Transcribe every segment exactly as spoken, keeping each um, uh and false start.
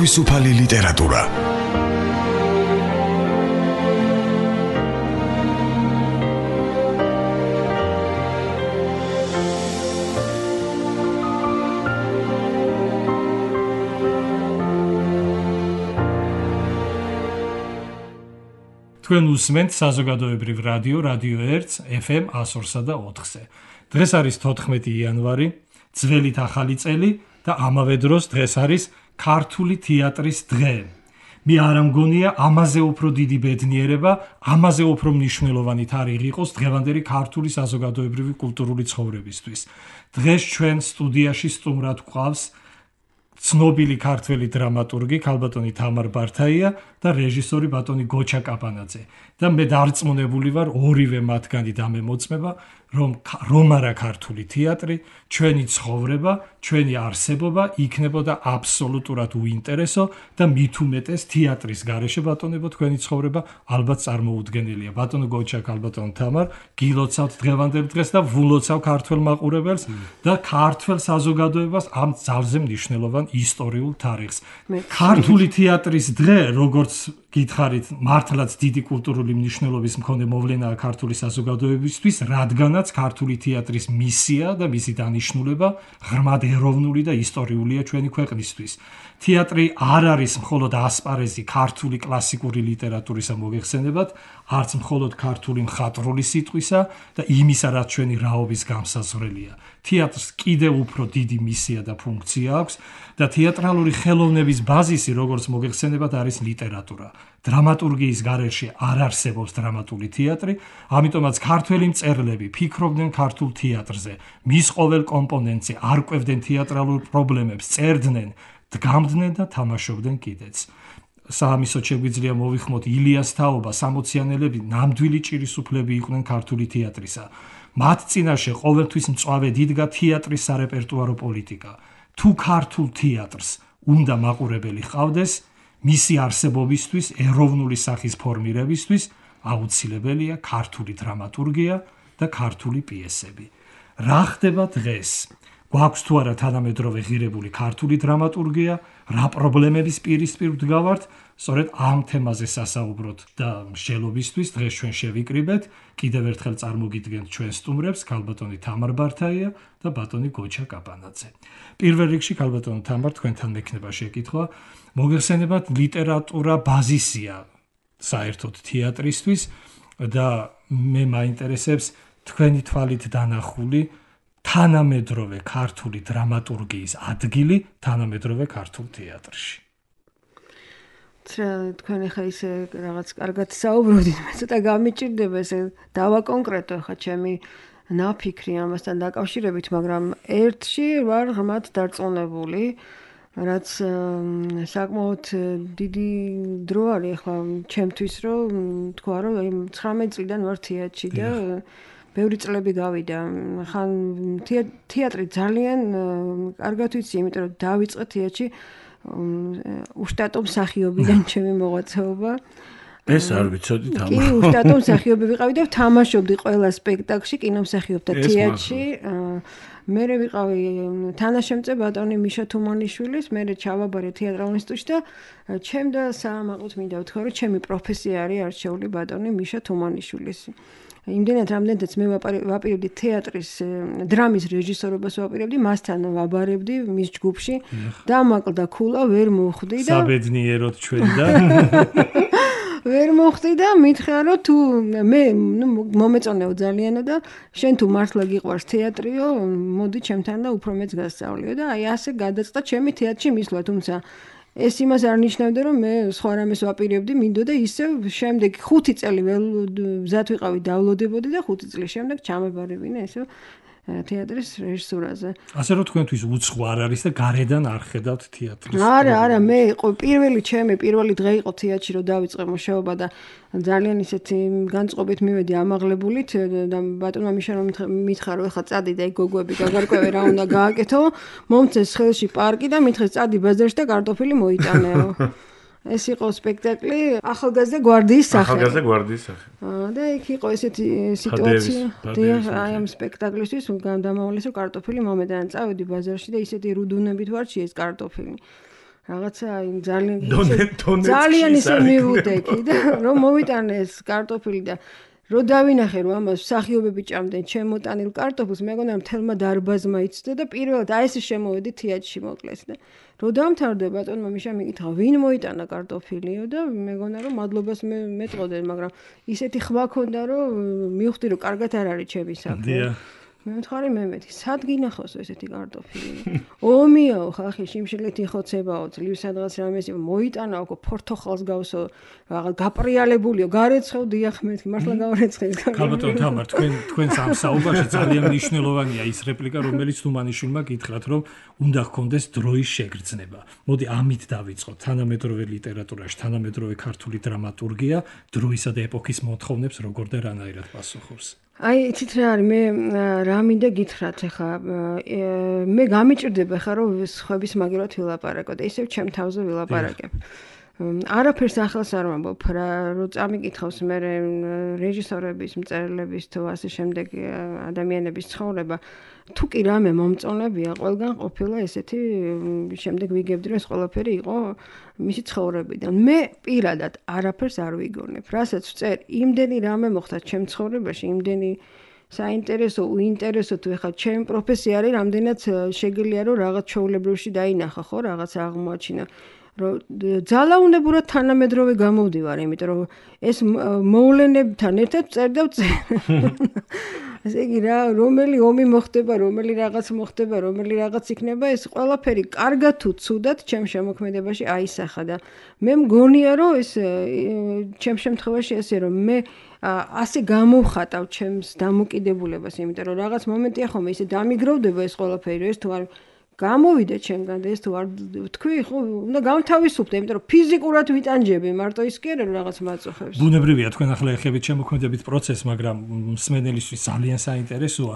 თავისუფალი ლიტერატურა. თქვენ უსმენთ საზოგადოებრივ რადიო რადიო ერთს ეფ ემ εκατო ორსა და ოთხზე. დღეს არის თოთხმეტი იანვარი, ძველით ახალი წელი და ამავე დროს დღეს არის ქართული თეატრის დღე. მე არ ამგონია ამაზე უფრო დიდი ბედნიერება, ამაზე უფრო მნიშვნელოვანი თარიღი იყოს დღევანდელი ქართული საზოგადოებრივი კულტურული ცხოვრებისთვის. დღეს ჩვენ სტუდიაში სტუმრად გვყავს ცნობილი ქართველი დრამატურგი ქალბატონი თამარ ბართაია და რეჟისორი ბატონი გოჩა კაპანაძე და მე დარწმუნებული ვარ ორივე მათგანი დამემოწმება რომ რომ არა ქართული თეატრი ჩვენი ცხოვრება ჩვენი არსებობა იქნებოდა აბსოლუტურად უინტერესო და მით უმეტეს თეატრის გარეშე ბატონებო თქვენი ცხოვრება ალბათ წარმოუდგენელია ბატონო გოჩა ქალბატონ თამარ გილოცავთ დღევანდელ დღეს და ვულოცავ ქართველ მაყურებელს და ქართველ საზოგადოებას ამ ძალზე მნიშვნელოვან ისტორიულ თარიღს ქართული თეატრის დღე როგორც გითხარით მართლაც დიდი კულტურული მნიშვნელობის მქონე მოვლენაა ქართული საზოგადოებისთვის რადგანაც ქართული თეატრის მისია და მისი დანიშნულება ღრმად ეროვნული და ისტორიულია ჩვენი ქვეყნისთვის თეატრი არ არის მხოლოდ ასპარეზი ქართული კლასიკური ლიტერატურისა მოგეხსენებათ არც მხოლოდ ქართული მხატვრული სიტყვისა და იმისა რაც ჩვენი რაობის გამსაზღვრელია თეატრს კიდევ უფრო დიდი მისია და ფუნქცია აქვს და თეატრალური ხელოვნების ბაზისი როგორც მოგეხსენებათ არის ლიტერატურა დრამატურგიის გარეშე არ არსებობს დრამატული თეატრი ამიტომაც ქართველი მწერლები ფიქრობდნენ ქართულ თეატრზე მის ყოველ კომპონენტზე არკვევდნენ თეატრალურ პრობლემებს წერდნენ დგამდნენ და თამაშობდნენ კიდეც საამისოდ შეგვიძლია მოვიხმოთ ილიას თაობა სამოციანელები ნამდვილი ჭირისუფლები იყვნენ ქართული თეატრისა მათ წინაშე ყოველთვის მწვავედ იდგა თეატრის სარეპერტუარო პოლიტიკა თუ ქართულ თეატრს უნდა მაყურებელი ჰყავდეს მისი არსებობისთვის ეროვნული სახის ფორმირებისთვის აუცილებელია ქართული დრამატურგია და ქართული პიესები რა ხდება დღეს გვაქვს თუ არა თანამედროვე ღირებული ქართული დრამატურგია რა პრობლემების პირისპირ ვდგავართ სწორედ ამ თემაზე სასაუბროთ და მსჯელობისთვის დღეს ჩვენ შევიკრიბეთ კიდევ ერთხელ წარმოგიდგენთ ჩვენ სტუმრებს ქალბატონი თამარ ბართაია და ბატონი გოჩა კაპანაძე პირველ რიგში ქალბატონი თამარ თქვენთან მექნება შეკითხვა მოგეხსენებათ ლიტერატურა ბაზისია საერთოდ თეატრისთვის და მე მაინტერესებს თქვენი თვალით დანახული თანამედროვე ქართული დრამატურგიის ადგილი თანამედროვე ქართულ თეატრში. თქვენ ახლა ისე რაღაც კარგად საუბრობთ, მე ცოტა გამიჭირდება ესე დავაკონკრეტო ხა ჩემი ნაფიქრი ამასთან დაკავშირებით, მაგრამ ერთში ვარ ღმად დარწმუნებული, რაც საკმაოდ დიდი დრო არის ახლა ჩემთვის, რომ თქვა რომ ცხრამეტი წლიდან ვარ თეატრში და ბევრი წლები გავიდა. ხან თეატრი ძალიან კარგად ვიცი, იმიტომ რომ დავიწყე თეატრში უშტატო მსახიობიდან ჩემი მოღვაწეობა. ეს არ ვიცოდი თამარ. კი, უშტატო მსახიობი ვიყავი და ვთამაშობდი ყველა სპექტაკლში კინომსახიობთა თეატრში. მე ვიყავი თანაშემწე ბატონი მიშა თუმანიშვილის, მე ჩავაბარე თეატრალურ ინსტიტუტში და ჩემ და საამაყოთ მინდა ვთქვა, რომ ჩემი პროფესია არის არჩეული ბატონი მიშა თუმანიშვილის. იმდენად რამდენადაც მე ვაპირებდი თეატრის დრამის რეჟისორობას ვაპირებდი მასთან ვაბარებდი მის ჯგუფში დამაკლდა ქულა ვერ მოხვდი და საბედნიეროდ ჩვენ და ვერ მოხვდი და მითხრა რომ თუ მე ნუ მომეწონეო ძალიანო და შენ თუ მართლა გიყვარს თეატრიო მოდი ჩემთან და უფრო მეც გასწავლიო და აი ასე გადაწყდა ჩემი თეატრში მისვლა თუმცა ეს იმას არ ნიშნავდა რომ მე სხვა რამეს ვაპირებდი მინდოდა ისევ შემდეგ ხუთი წელი მზად ვიყავი დავლოდებოდი და ხუთი წლის შემდეგ ჩამებარებინა ესე თეატრის რეჟისურაზე. ასე რომ თქვენთვის უცხო არ არის და გარედან არ ხედავთ თეატრის. არა, არა, მე იყო პირველი ჩემი პირველი დღე იყო თეატრში რომ დავიწყე მუშაობა და ძალიან ისეთი განწყობით მივედი ამაღლებულით და ბატონმა მიშა რომ მითხრა რომ ეხლა წადი და გოგოები გაგარკვევე რა უნდა გააკეთო, მომწეს ხელში პარკი და მითხრეს წადი ბაზარში და კარტოფილი მოიტანეო. ეს იყო სპექტაკლი ახალგაზრდა გვარდიის სახე. ახალგაზრდა გვარდიის სახე. და იქ იყო ესეთი სიტუაცია. აი ამ სპექტაკლისთვის დამავალეს რომ კარტოფილი მომედან წავედი ბაზარში და ისეთი რუდუნებით ვარჩი ეს კარტოფილი. რაღაცა ძალიან დონეცკი ძალიან ისე მივუტეკი და რომ მოვიტანე ეს კარტოფილი და რო დავინახე რომ ამას მსახიობები ჭამდნენ ჩემოტანილ კარტოფილს, მეგონა მთელმა დარბაზმა იცოდა და პირველად აი ეს შემოვედი თეატრში მოკლეს და რო დამთავრდა ბატონმა მიშა მიკითხა ვინ მოიტანა კარტოფილიო და მეგონა რომ მადლობას მეტყოდნენ, მაგრამ ისეთი ხმა ქონდა რომ მივხვდი რომ კარგად არ არის ჩემი საქმე. მე მითხარი მემეთი, სად გინახავსო ესეთი კარტოფილი? ომიაო ხალხი შიმშილით იხოცებაო, ძლივ სადღაც რამეს მოიტანა ოქო პორტოხალს გავსო, რაღაც გაპრიალებულიო, გარეცხევ დიახ მეთქი, მართლა გავარეცხე. ქალბატონ თამარ, თქვენ თქვენს ამ საუბარში ძალიან მნიშვნელოვანია ის რეპლიკა, რომელიც თუმანიშვილმა გითხრათ, რომ უნდა ჰქონდეს დროის შეგრძნება. მოდი ამით დავიწყოთ. თანამედროვე ლიტერატურაში, თანამედროვე ქართული დრამატურგია დროისა და ეპოქის მოთხოვნებს როგორ და რანაირად პასუხობს. აი, იცით რა არის, მე რა მინდა გითხრათ ახლა, მე გამიჭირდება ხა რომ სხვების მაგივრად ვილაპარაკო და ისევ ჩემ თავზე ვილაპარაკებ. არაფერს ახალს არ ვამბობ რა, რო წამიკითხავს მე რეჟისორების, მწერლების თუ ასე შემდეგ ადამიანების ცხოვრება, თუ კი რამე მომწონებია, ყველგან ყოფილა ესეთი შემდეგ ვიგებდი რომ ეს ყველაფერი იყო მისი ცხოვრებიდან. მე პირადად არაფერს არ ვიგონებ. რასაც ვწერ, იმდენი რამე მოხდა ჩემ ცხოვრებაში, იმდენი საინტერესო, უინტერესო თუ ეხლა ჩემი პროფესია არის, რამდენად შეგიძლია რომ რაღაც ჩვეულებრივში დაინახა, ხო, რაღაც აღმოაჩინა. რომ ძალაუნებურად თანამედროვე გამოვდივარ, იმიტომ რომ ეს მოვლენებთან ერთად წერ და წერ. ესე იგი რა, რომელი ომი მოხდება, რომელი რაღაც მოხდება, რომელი რაღაც იქნება, ეს ყველაფერი კარგად თუ ცუდად ჩემ შემოქმედებაში აისახა და მე მგონია რომ ეს ჩემ შემთხვევაში ესე რომ მე ასე გამოვხატავ ჩემს დამოკიდებულებას, იმიტომ რომ რაღაც მომენტია ხომ ისე დამიგროვდება ეს ყველაფერი, რომ ეს თუ არ გამოვიდა ჩემგან და ეს თუ არ თქვი, ხო, უნდა გავთავისუფლდე, იმიტომ რომ ფიზიკურად ვიტანჯები, მარტო ის კი არა რომ რაღაც მაწუხებს. ბუნებრივია, თქვენ ახლა ეხებით შემოქმედებით პროცესს, მაგრამ მსმენელისთვის ძალიან საინტერესოა,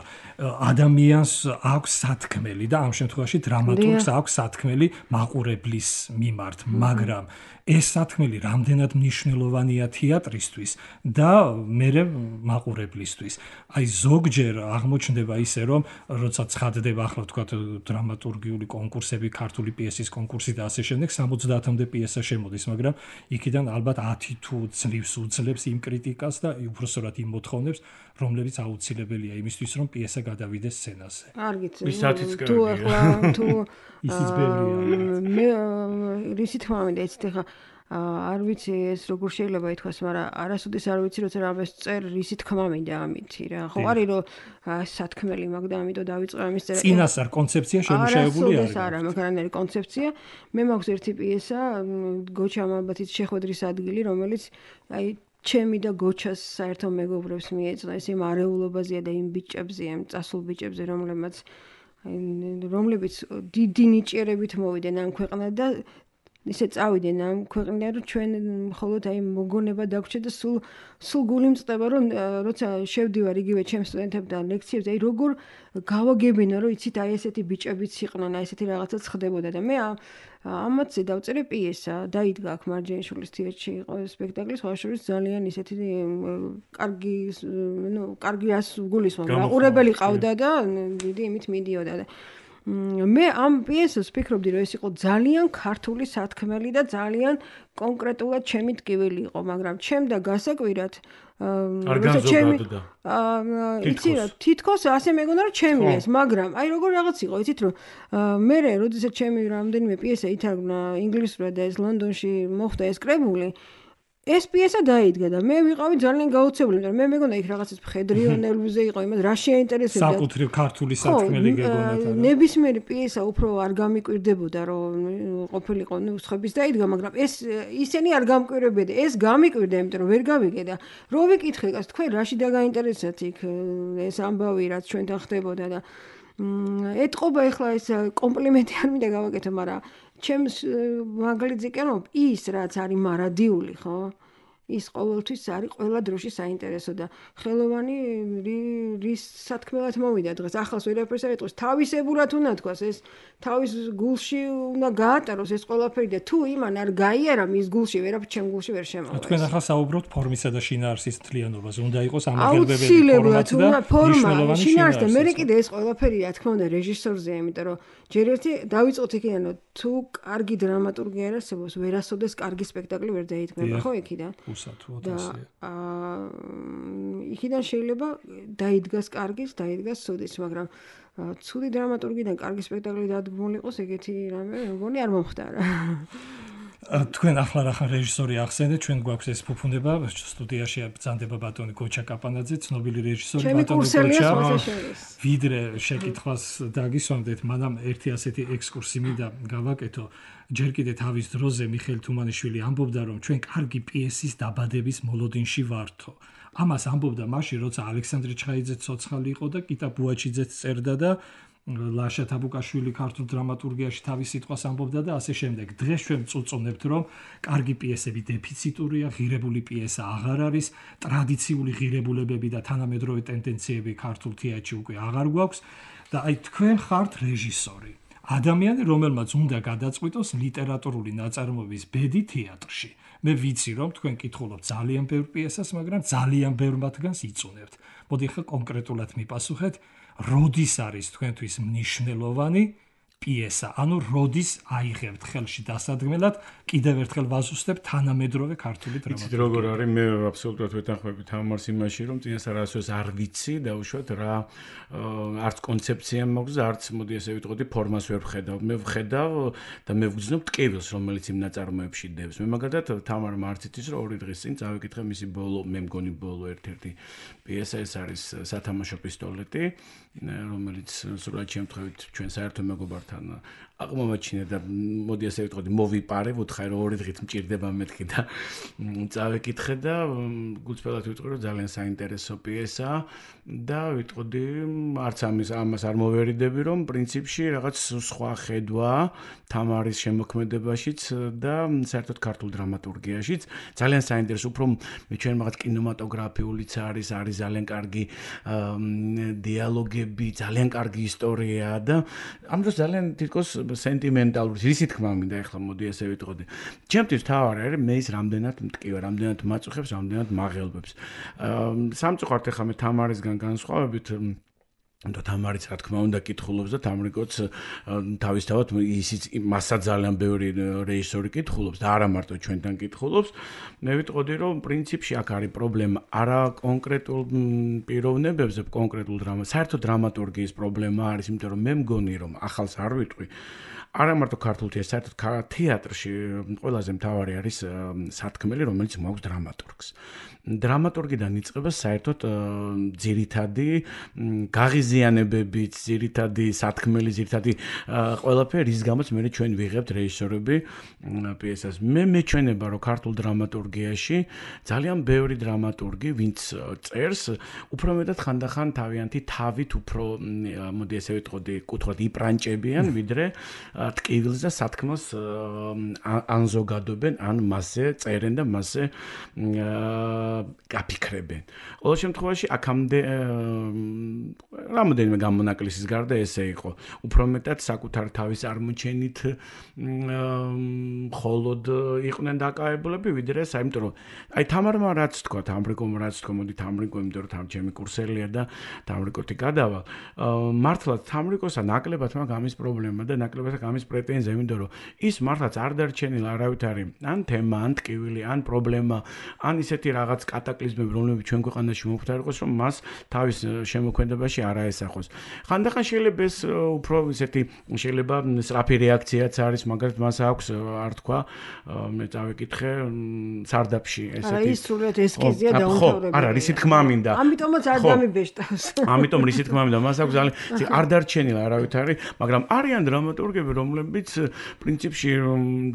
ადამიანს აქვს სათქმელი და ამ შემთხვევაში დრამატურგს აქვს სათქმელი მაყურებლის მიმართ, მაგრამ ეს სათქმელი რამდენად მნიშვნელოვანია თეატრისთვის და მერე მაყურებლისთვის. აი ზოგჯერ აღმოჩნდება ისე, რომ როცა ცხადდება ახლა თქვა დრამატურგიული კონკურსები, ქართული პიესის კონკურსი და ასე შემდეგ, სამოცდაათამდე პიესა შემოდის, მაგრამ იქიდან ალბათ ათი თუ ძლივს უძლებს იმ კრიტიკას და უბრალოდ იმ მოთხოვნებს, რომლებიც აუცილებელია იმისთვის, რომ პიესა გადავიდეს სცენაზე. არ გიცი. ის ათიც თუ ახლა თუ ისიც ბევრია. მე რისი თქმა მინდა, იცით ახლა არ ვიცი ეს როგორ შეიძლება ითქვას, მაგრამ არასოდეს არ ვიცი, როცა რამეს წერ, რისი თქმა მინდა ამითი რა. ხო არის რომ სათქმელი მაგ და ამიტომ დავიწყე ამის წერა. წინასწარ კონცეფცია შემოშეებული არის. არა, მაგარანაირი კონცეფცია. მე მაქვს ერთი პიესა, გოჩა მამბათის შეხვედრის ადგილი, რომელიც აი ჩემი და გოჩას საერთო მეგობრებს მიეწონა, ეს იმ არეულობაზეა და იმ ბიჭებზე, იმ წასულ ბიჭებზე, რომლებიც რომლებიც დიდი ნიჭიერებით მოვიდნენ ამ ქვეყნად და ისე წავიდნენ ამ ქვეყნიდან, რომ ჩვენ მხოლოდ აი მოგონება დაგვრჩა და სულ სულ გული მწყდება, რომ როცა შევდივარ იგივე ჩემ სტუდენტებთან ლექციებზე, აი როგორ გავაგებინა, რომ იცით აი ესეთი ბიჭებიც იყვნენ, აი ესეთი რაღაცაც ხდებოდა და მე ამათზე დავწერე პიესა, დაიდგა აქ მარჯანიშვილის თეატრში იყო სპექტაკლი, სხვა შორის ძალიან ისეთი კარგი, ნუ კარგი გულისხმობ, მაყურებელი ყავდა და დიდი იმით მიდიოდა და მე ამ პიესას ვფიქრობდი, რომ ეს იყო ძალიან ქართული სათქმელი და ძალიან კონკრეტულად ჩემი ტკივილი იყო, მაგრამ ჩემ და გასაკვირად როცა ჩემი იცი რა, თითქოს ასე მეგონა რომ ჩემია ეს, მაგრამ აი როგორ რაღაც იყო, იცით რომ მე როდესაც ჩემი რამდენიმე პიესა ითარგმნა ინგლისურად და ეს ლონდონში მოხდა ეს კრებული, ეს პიესა დაიდგა და მე ვიყავი ძალიან გაოცებული, მაგრამ მე მეგონა იქ რაღაცას მხედრიონელზე იყო, იმას რა შეინტერესებდა. საკუთრივ ქართული სათქმელი გეგონათა. ნებისმიერი პიესა უფრო არ გამიკვირდებოდა, რომ ყოფილიყო, ნუ სხვების დაიდგა, მაგრამ ეს ისინი არ გამკვირვებდა. ეს გამიკვირდა, იმიტომ რომ ვერ გავიგე და რო ვიკითხე, თქვენ რაში დაგაინტერესათ იქ ეს ამბავი, რაც ჩვენთან ხდებოდა და ეთყობა ეხლა ეს კომპლიმენტი არ მინდა გავაკეთო, მაგრამ ჩემს მაგალითზე კი რომ ის რაც არის მარადიული, ხო? ის ყოველთვის არის ყველა დროში საინტერესო და ხელოვანი რის სათქმელად მოვიდა დღეს ახალს ვერაფერს არ ეტყვის თავისებურად უნდა თქვას ეს თავის გულში უნდა გაატაროს ეს ყველაფერი და თუ იმან არ გაიარა მის გულში ვერაფერი ჩემ გულში ვერ შემოვა თქვენ ახლა საუბრობთ ფორმისა და შინაარსის თლიანობაზე უნდა იყოს ამაღელვებელი ფორმა და შინაარსი და მე კიდე ეს ყველაფერი რა თქმა უნდა რეჟისორზეა იმიტომ რომ ჯერ ერთი დავიწყოთ იქიდან რომ თუ კარგი დრამატურგი არ არსებობს ვერასოდეს კარგი სპექტაკლი ვერ დაიდგმება ხო იქიდან უსათუოდ ასეა აა იქიდან შეიძლება დაიდგას კარგის დაიდგას ცუდის მაგრამ ცუდი დრამატურგიდან კარგი სპექტაკლი დადგმული იყოს ეგეთი რამე მგონი არ მომხდარა თქვენ ახლა რა ხარ რეჟისორი ახსენეთ ჩვენ გვაქვს ეს ფუფუნება სტუდიაში ბრძანდება ბატონი გოჩა კაპანაძე ცნობილი რეჟისორი ბატონი გოჩა ვიდრე შეკითხვას დაგისვამდეთ მანამ ერთი ასეთი ექსკურსი მინდა გავაკეთო ჯერ კიდე თავის დროზე მიხეილ თუმანიშვილი ამბობდა რომ ჩვენ კარგი პიესის დაბადების მოლოდინში ვართო ამას ამბობდა მაშინ როცა ალექსანდრე ჩხაიძე ცოცხალი იყო და კიტა ბუაჩიძეც წერდა და ლაშა თაბუკაშვილი ქართულ დრამატურგიაში თავის სიტყვას ამბობდა და ასე შემდეგ. დღეს ჩვენ წუწუნებთ რომ კარგი პიესები დეფიციტურია, ღირებული პიესა აღარ არის, ტრადიციული ღირებულებები და თანამედროვე ტენდენციები ქართულ თეატრში უკვე აღარ გვაქვს და აი თქვენ ხართ რეჟისორი. ადამიანი რომელმაც უნდა გადაწყვიტოს ლიტერატურული ნაწარმოების ბედი თეატრში. მე ვიცი რომ თქვენ კითხულობთ ძალიან ბევრ პიესას, მაგრამ ძალიან ბევრ მათგანს იწუნებთ. მოდი ხა კონკრეტულად მიპასუხეთ როდის არის თქვენთვის მნიშვნელოვანი პიესა, ანუ როდის აიღებთ ხელში დასადგმელად, კიდევ ერთხელ ვაზუსტებ თანამედროვე ქართული დრამატურგია. იცით როგორ არის, მე აბსოლუტურად ვეთანხმები თამარს იმაში, რომ წინასწარ ასოს არ ვიცი და უშუალოდ რა არც კონცეფცია მაქვს, არც მოდი ესე ვიტყოდი ფორმას ვერ ვხედავ. მე ვხედავ და მე ვგრძნობ ტკივილს, რომელიც იმ ნაწარმოებში დევს. მე მაგალითად თამარმა არც იცის, რომ ორი დღის წინ წავიკითხე მისი ბოლო, მე მგონი ბოლო ერთ-ერთი პიესა ეს არის სათამაშო პისტოლეტი, რომელიც სრულად შემთხვევით ჩვენ საერთო მეგობართან აღმოაჩინე და მოდი ასე ვიტყოდი მოვიპარე, ვუთხარი რომ ორი დღით მჭირდება მეთქი და წავეკითხე და გულწრფელად ვიტყვი რომ ძალიან საინტერესო პიესაა და ვიტყოდი არც ამის ამას არ მოვერიდები რომ პრინციპში რაღაც სხვა ხედვა თამარის შემოქმედებაშიც და საერთოდ ქართულ დრამატურგიაშიც ძალიან საინტერესო უფრო მე ჩვენ რაღაც კინემატოგრაფიულიც არის არის ძალიან კარგი დიალოგები, ძალიან კარგი ისტორია და ამ დროს ძალიან თითქოს სენტიმენტალური ისი თქმა მინდა ახლა მოდი ესე ვიტყოდი. ჩემთვის თავარი არის მე ის რამდენად მტკივა, რამდენად მაწუხებს, რამდენად მაღელვებს. სამწუხაროდ ახლა მე თამარისგან განსხვავებით და თამარიც რა თქმა უნდა კითხულობს და თამრიკოც თავისთავად ისიც მასა ძალიან ბევრი რეჟისორი კითხულობს და არა მარტო ჩვენთან კითხულობს. მე ვიტყოდი რომ პრინციპში აქ არის პრობლემა არა კონკრეტულ პიროვნებებზე, კონკრეტულ დრამა, საერთოდ დრამატურგიის პრობლემა არის, იმიტომ რომ მე მგონი რომ ახალს არ ვიტყვი. არა მარტო ქართულ თეატრში, საერთოდ თეატრში ყველაზე მთავარი არის სათქმელი, რომელიც მოაქვს დრამატურგს. დრამატურგიდან იწყება საერთოდ ძირითადი გაღიზიანებებით, ძირითადი სათქმელი, ძირითადი ყველაფერი, რის გამოც მე ჩვენ ვიღებთ რეჟისორები პიესას. მე მეჩვენება, რომ ქართულ დრამატურგიაში ძალიან ბევრი დრამატურგი, ვინც წერს, უფრო მეტად ხანდახან თავიანთი თავით უფრო, მოდი ესე ვიტყოდი, კუთვნილად იპრანჭებიან, ვიდრე ტკივილს და სათქმელს ან ზოგადობენ, ან მასზე წერენ და მასზე გაფიქრებენ. ყოველ შემთხვევაში აქამდე რამოდენიმე გამონაკლისის გარდა ესე იყო. უფრო მეტად საკუთარ თავის წარმოჩენით მხოლოდ იყვნენ დაკავებულები, ვიდრე ეს, იმიტომ რომ აი თამარმა რაც თქვა, თამრიკომ რაც თქვა, მოდი თამრიკო, იმიტომ რომ თამჩემი კურსელია და თამრიკოთი გადავალ. მართლაც თამრიკოსა ნაკლებად მაგ ამის პრობლემა და ნაკლებად ამის პრეტენზია, იმიტომ რომ ის მართლაც არ დარჩენილა არავით არის ან თემა, ან ტკივილი, ან პრობლემა, ან ისეთი რაღაც კატაკლიზმები, რომლებიც ჩვენ ქვეყანაში მომხდარიყოს, რომ მას თავის შემოქმედებაში არ აესახოს. ხანდახან შეიძლება ეს უფრო ისეთი შეიძლება სწრაფი რეაქციაც არის, მაგალითად მას აქვს არ თქვა, მე წავეკითხე სარდაფში ესეთი. არა, ის სრულად ესკიზია დაუნთავრებული. არა, რისი თქმა მინდა. ამიტომაც არ დამიბეჭდავს. ამიტომ რისი თქმა მინდა, მას აქვს ძალიან არ დარჩენილა არავით არის, მაგრამ არიან დრამატურგები, რომლებიც პრინციპში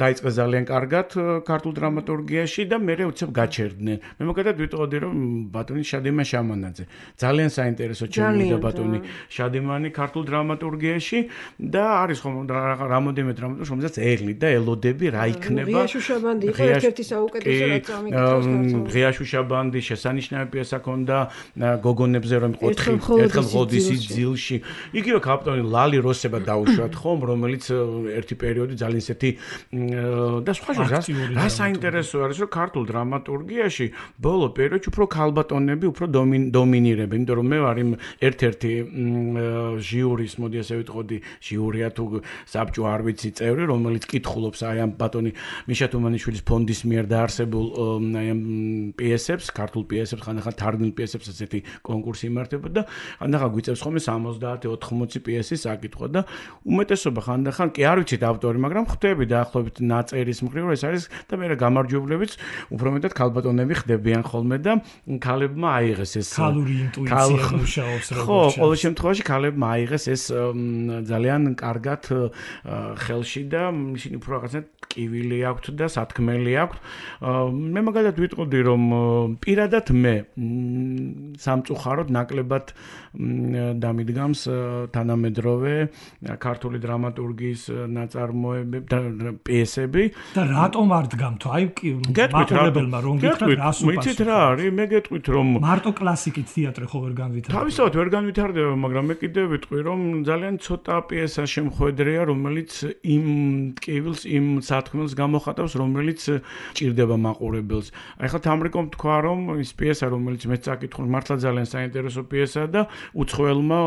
დაიწყეს ძალიან კარგად ქართულ დრამატურგიაში და მერე უცებ გაჩერდნენ. მე მოგადად ვიტყოდი რომ ბატონი შადიმან შამანაძე ძალიან საინტერესო ჩემი და ბატონი შადიმანი ქართულ დრამატურგიაში და არის ხომ რამოდენიმე დრამატურგი რომელსაც ელი და ელოდები რა იქნება ღია შუშაბანდი იყო ერთ-ერთი საუკეთესო რაც ამიკითხავს ღია შუშაბანდი შესანიშნავი პიესა ქონდა გოგონებზე რომ იყო ერთხელ ღოდის ძილში იგივე კაპიტანი ლალი როსება დაუშვათ ხომ რომელიც ერთი პერიოდი ძალიან ისეთი და სხვა რა საინტერესო არის რომ ქართულ დრამატურგიაში ბოლო პერიოდში უფრო ქალბატონები უფრო დომინირებენ იმიტომ რომ მე ვარ იმ ერთ-ერთი ჟიურის მოდი ასე ვიტყოდი ჟიურია თუ საბჭო არ ვიცი წევრი რომელიც კითხულობს აი ამ ბატონი მიშა თუმანიშვილის ფონდის მიერ დაარსებულ აი ამ პიესებს ქართულ პიესებს ხანდახან თარგმნილ პიესებს ასეთი კონკურსი იმართება და ხანდახან გვიწევს ხოლმე სამოცდაათი ოთხმოცი პიესის საკითხვა და უმეტესობა ხანდახან კი არ ვიცით ავტორი მაგრამ ხვდები დაახლოებით ნაწერის მხრივ ეს არის და მე გამარჯვებლებიც უფრო მეტად ქალბატონები ხდებიან ხოლმე და ქალებმა აიღეს ეს ქალური ინტუიცია მუშაობს როგორც ხო ყოველ შემთხვევაში ქალებმა აიღეს ეს ძალიან კარგად ხელში და ისინი უფრო რაღაცნაირად კივილი აქვთ და სათქმელი აქვთ მე მაგალითად ვიტყოდი რომ პირადად მე სამწუხაროდ ნაკლებად დამიდგამს თანამედროვე ქართული დრამატურგიის ნაწარმოებები და პიესები და რატომ არ დგამთო აი მაყურებელმა რომ გითხრათ რას უპასუხოთ მიცით რა არის მე გეტყვით რომ მარტო კლასიკით თეატრი ხო ვერ განვითარდება თავისთავად ვერ განვითარდება მაგრამ მე კიდევ ვიტყვი რომ ძალიან ცოტა პიესა შემხვედრია რომელიც იმ ტკივილს იმ სათქმელს გამოხატავს რომელიც ჭირდება მაყურებელს აი ხა თამრიკომ თქვა რომ ის პიესა რომელიც მე წაკითხულ მართლა ძალიან საინტერესო პიესაა და უცხოელმა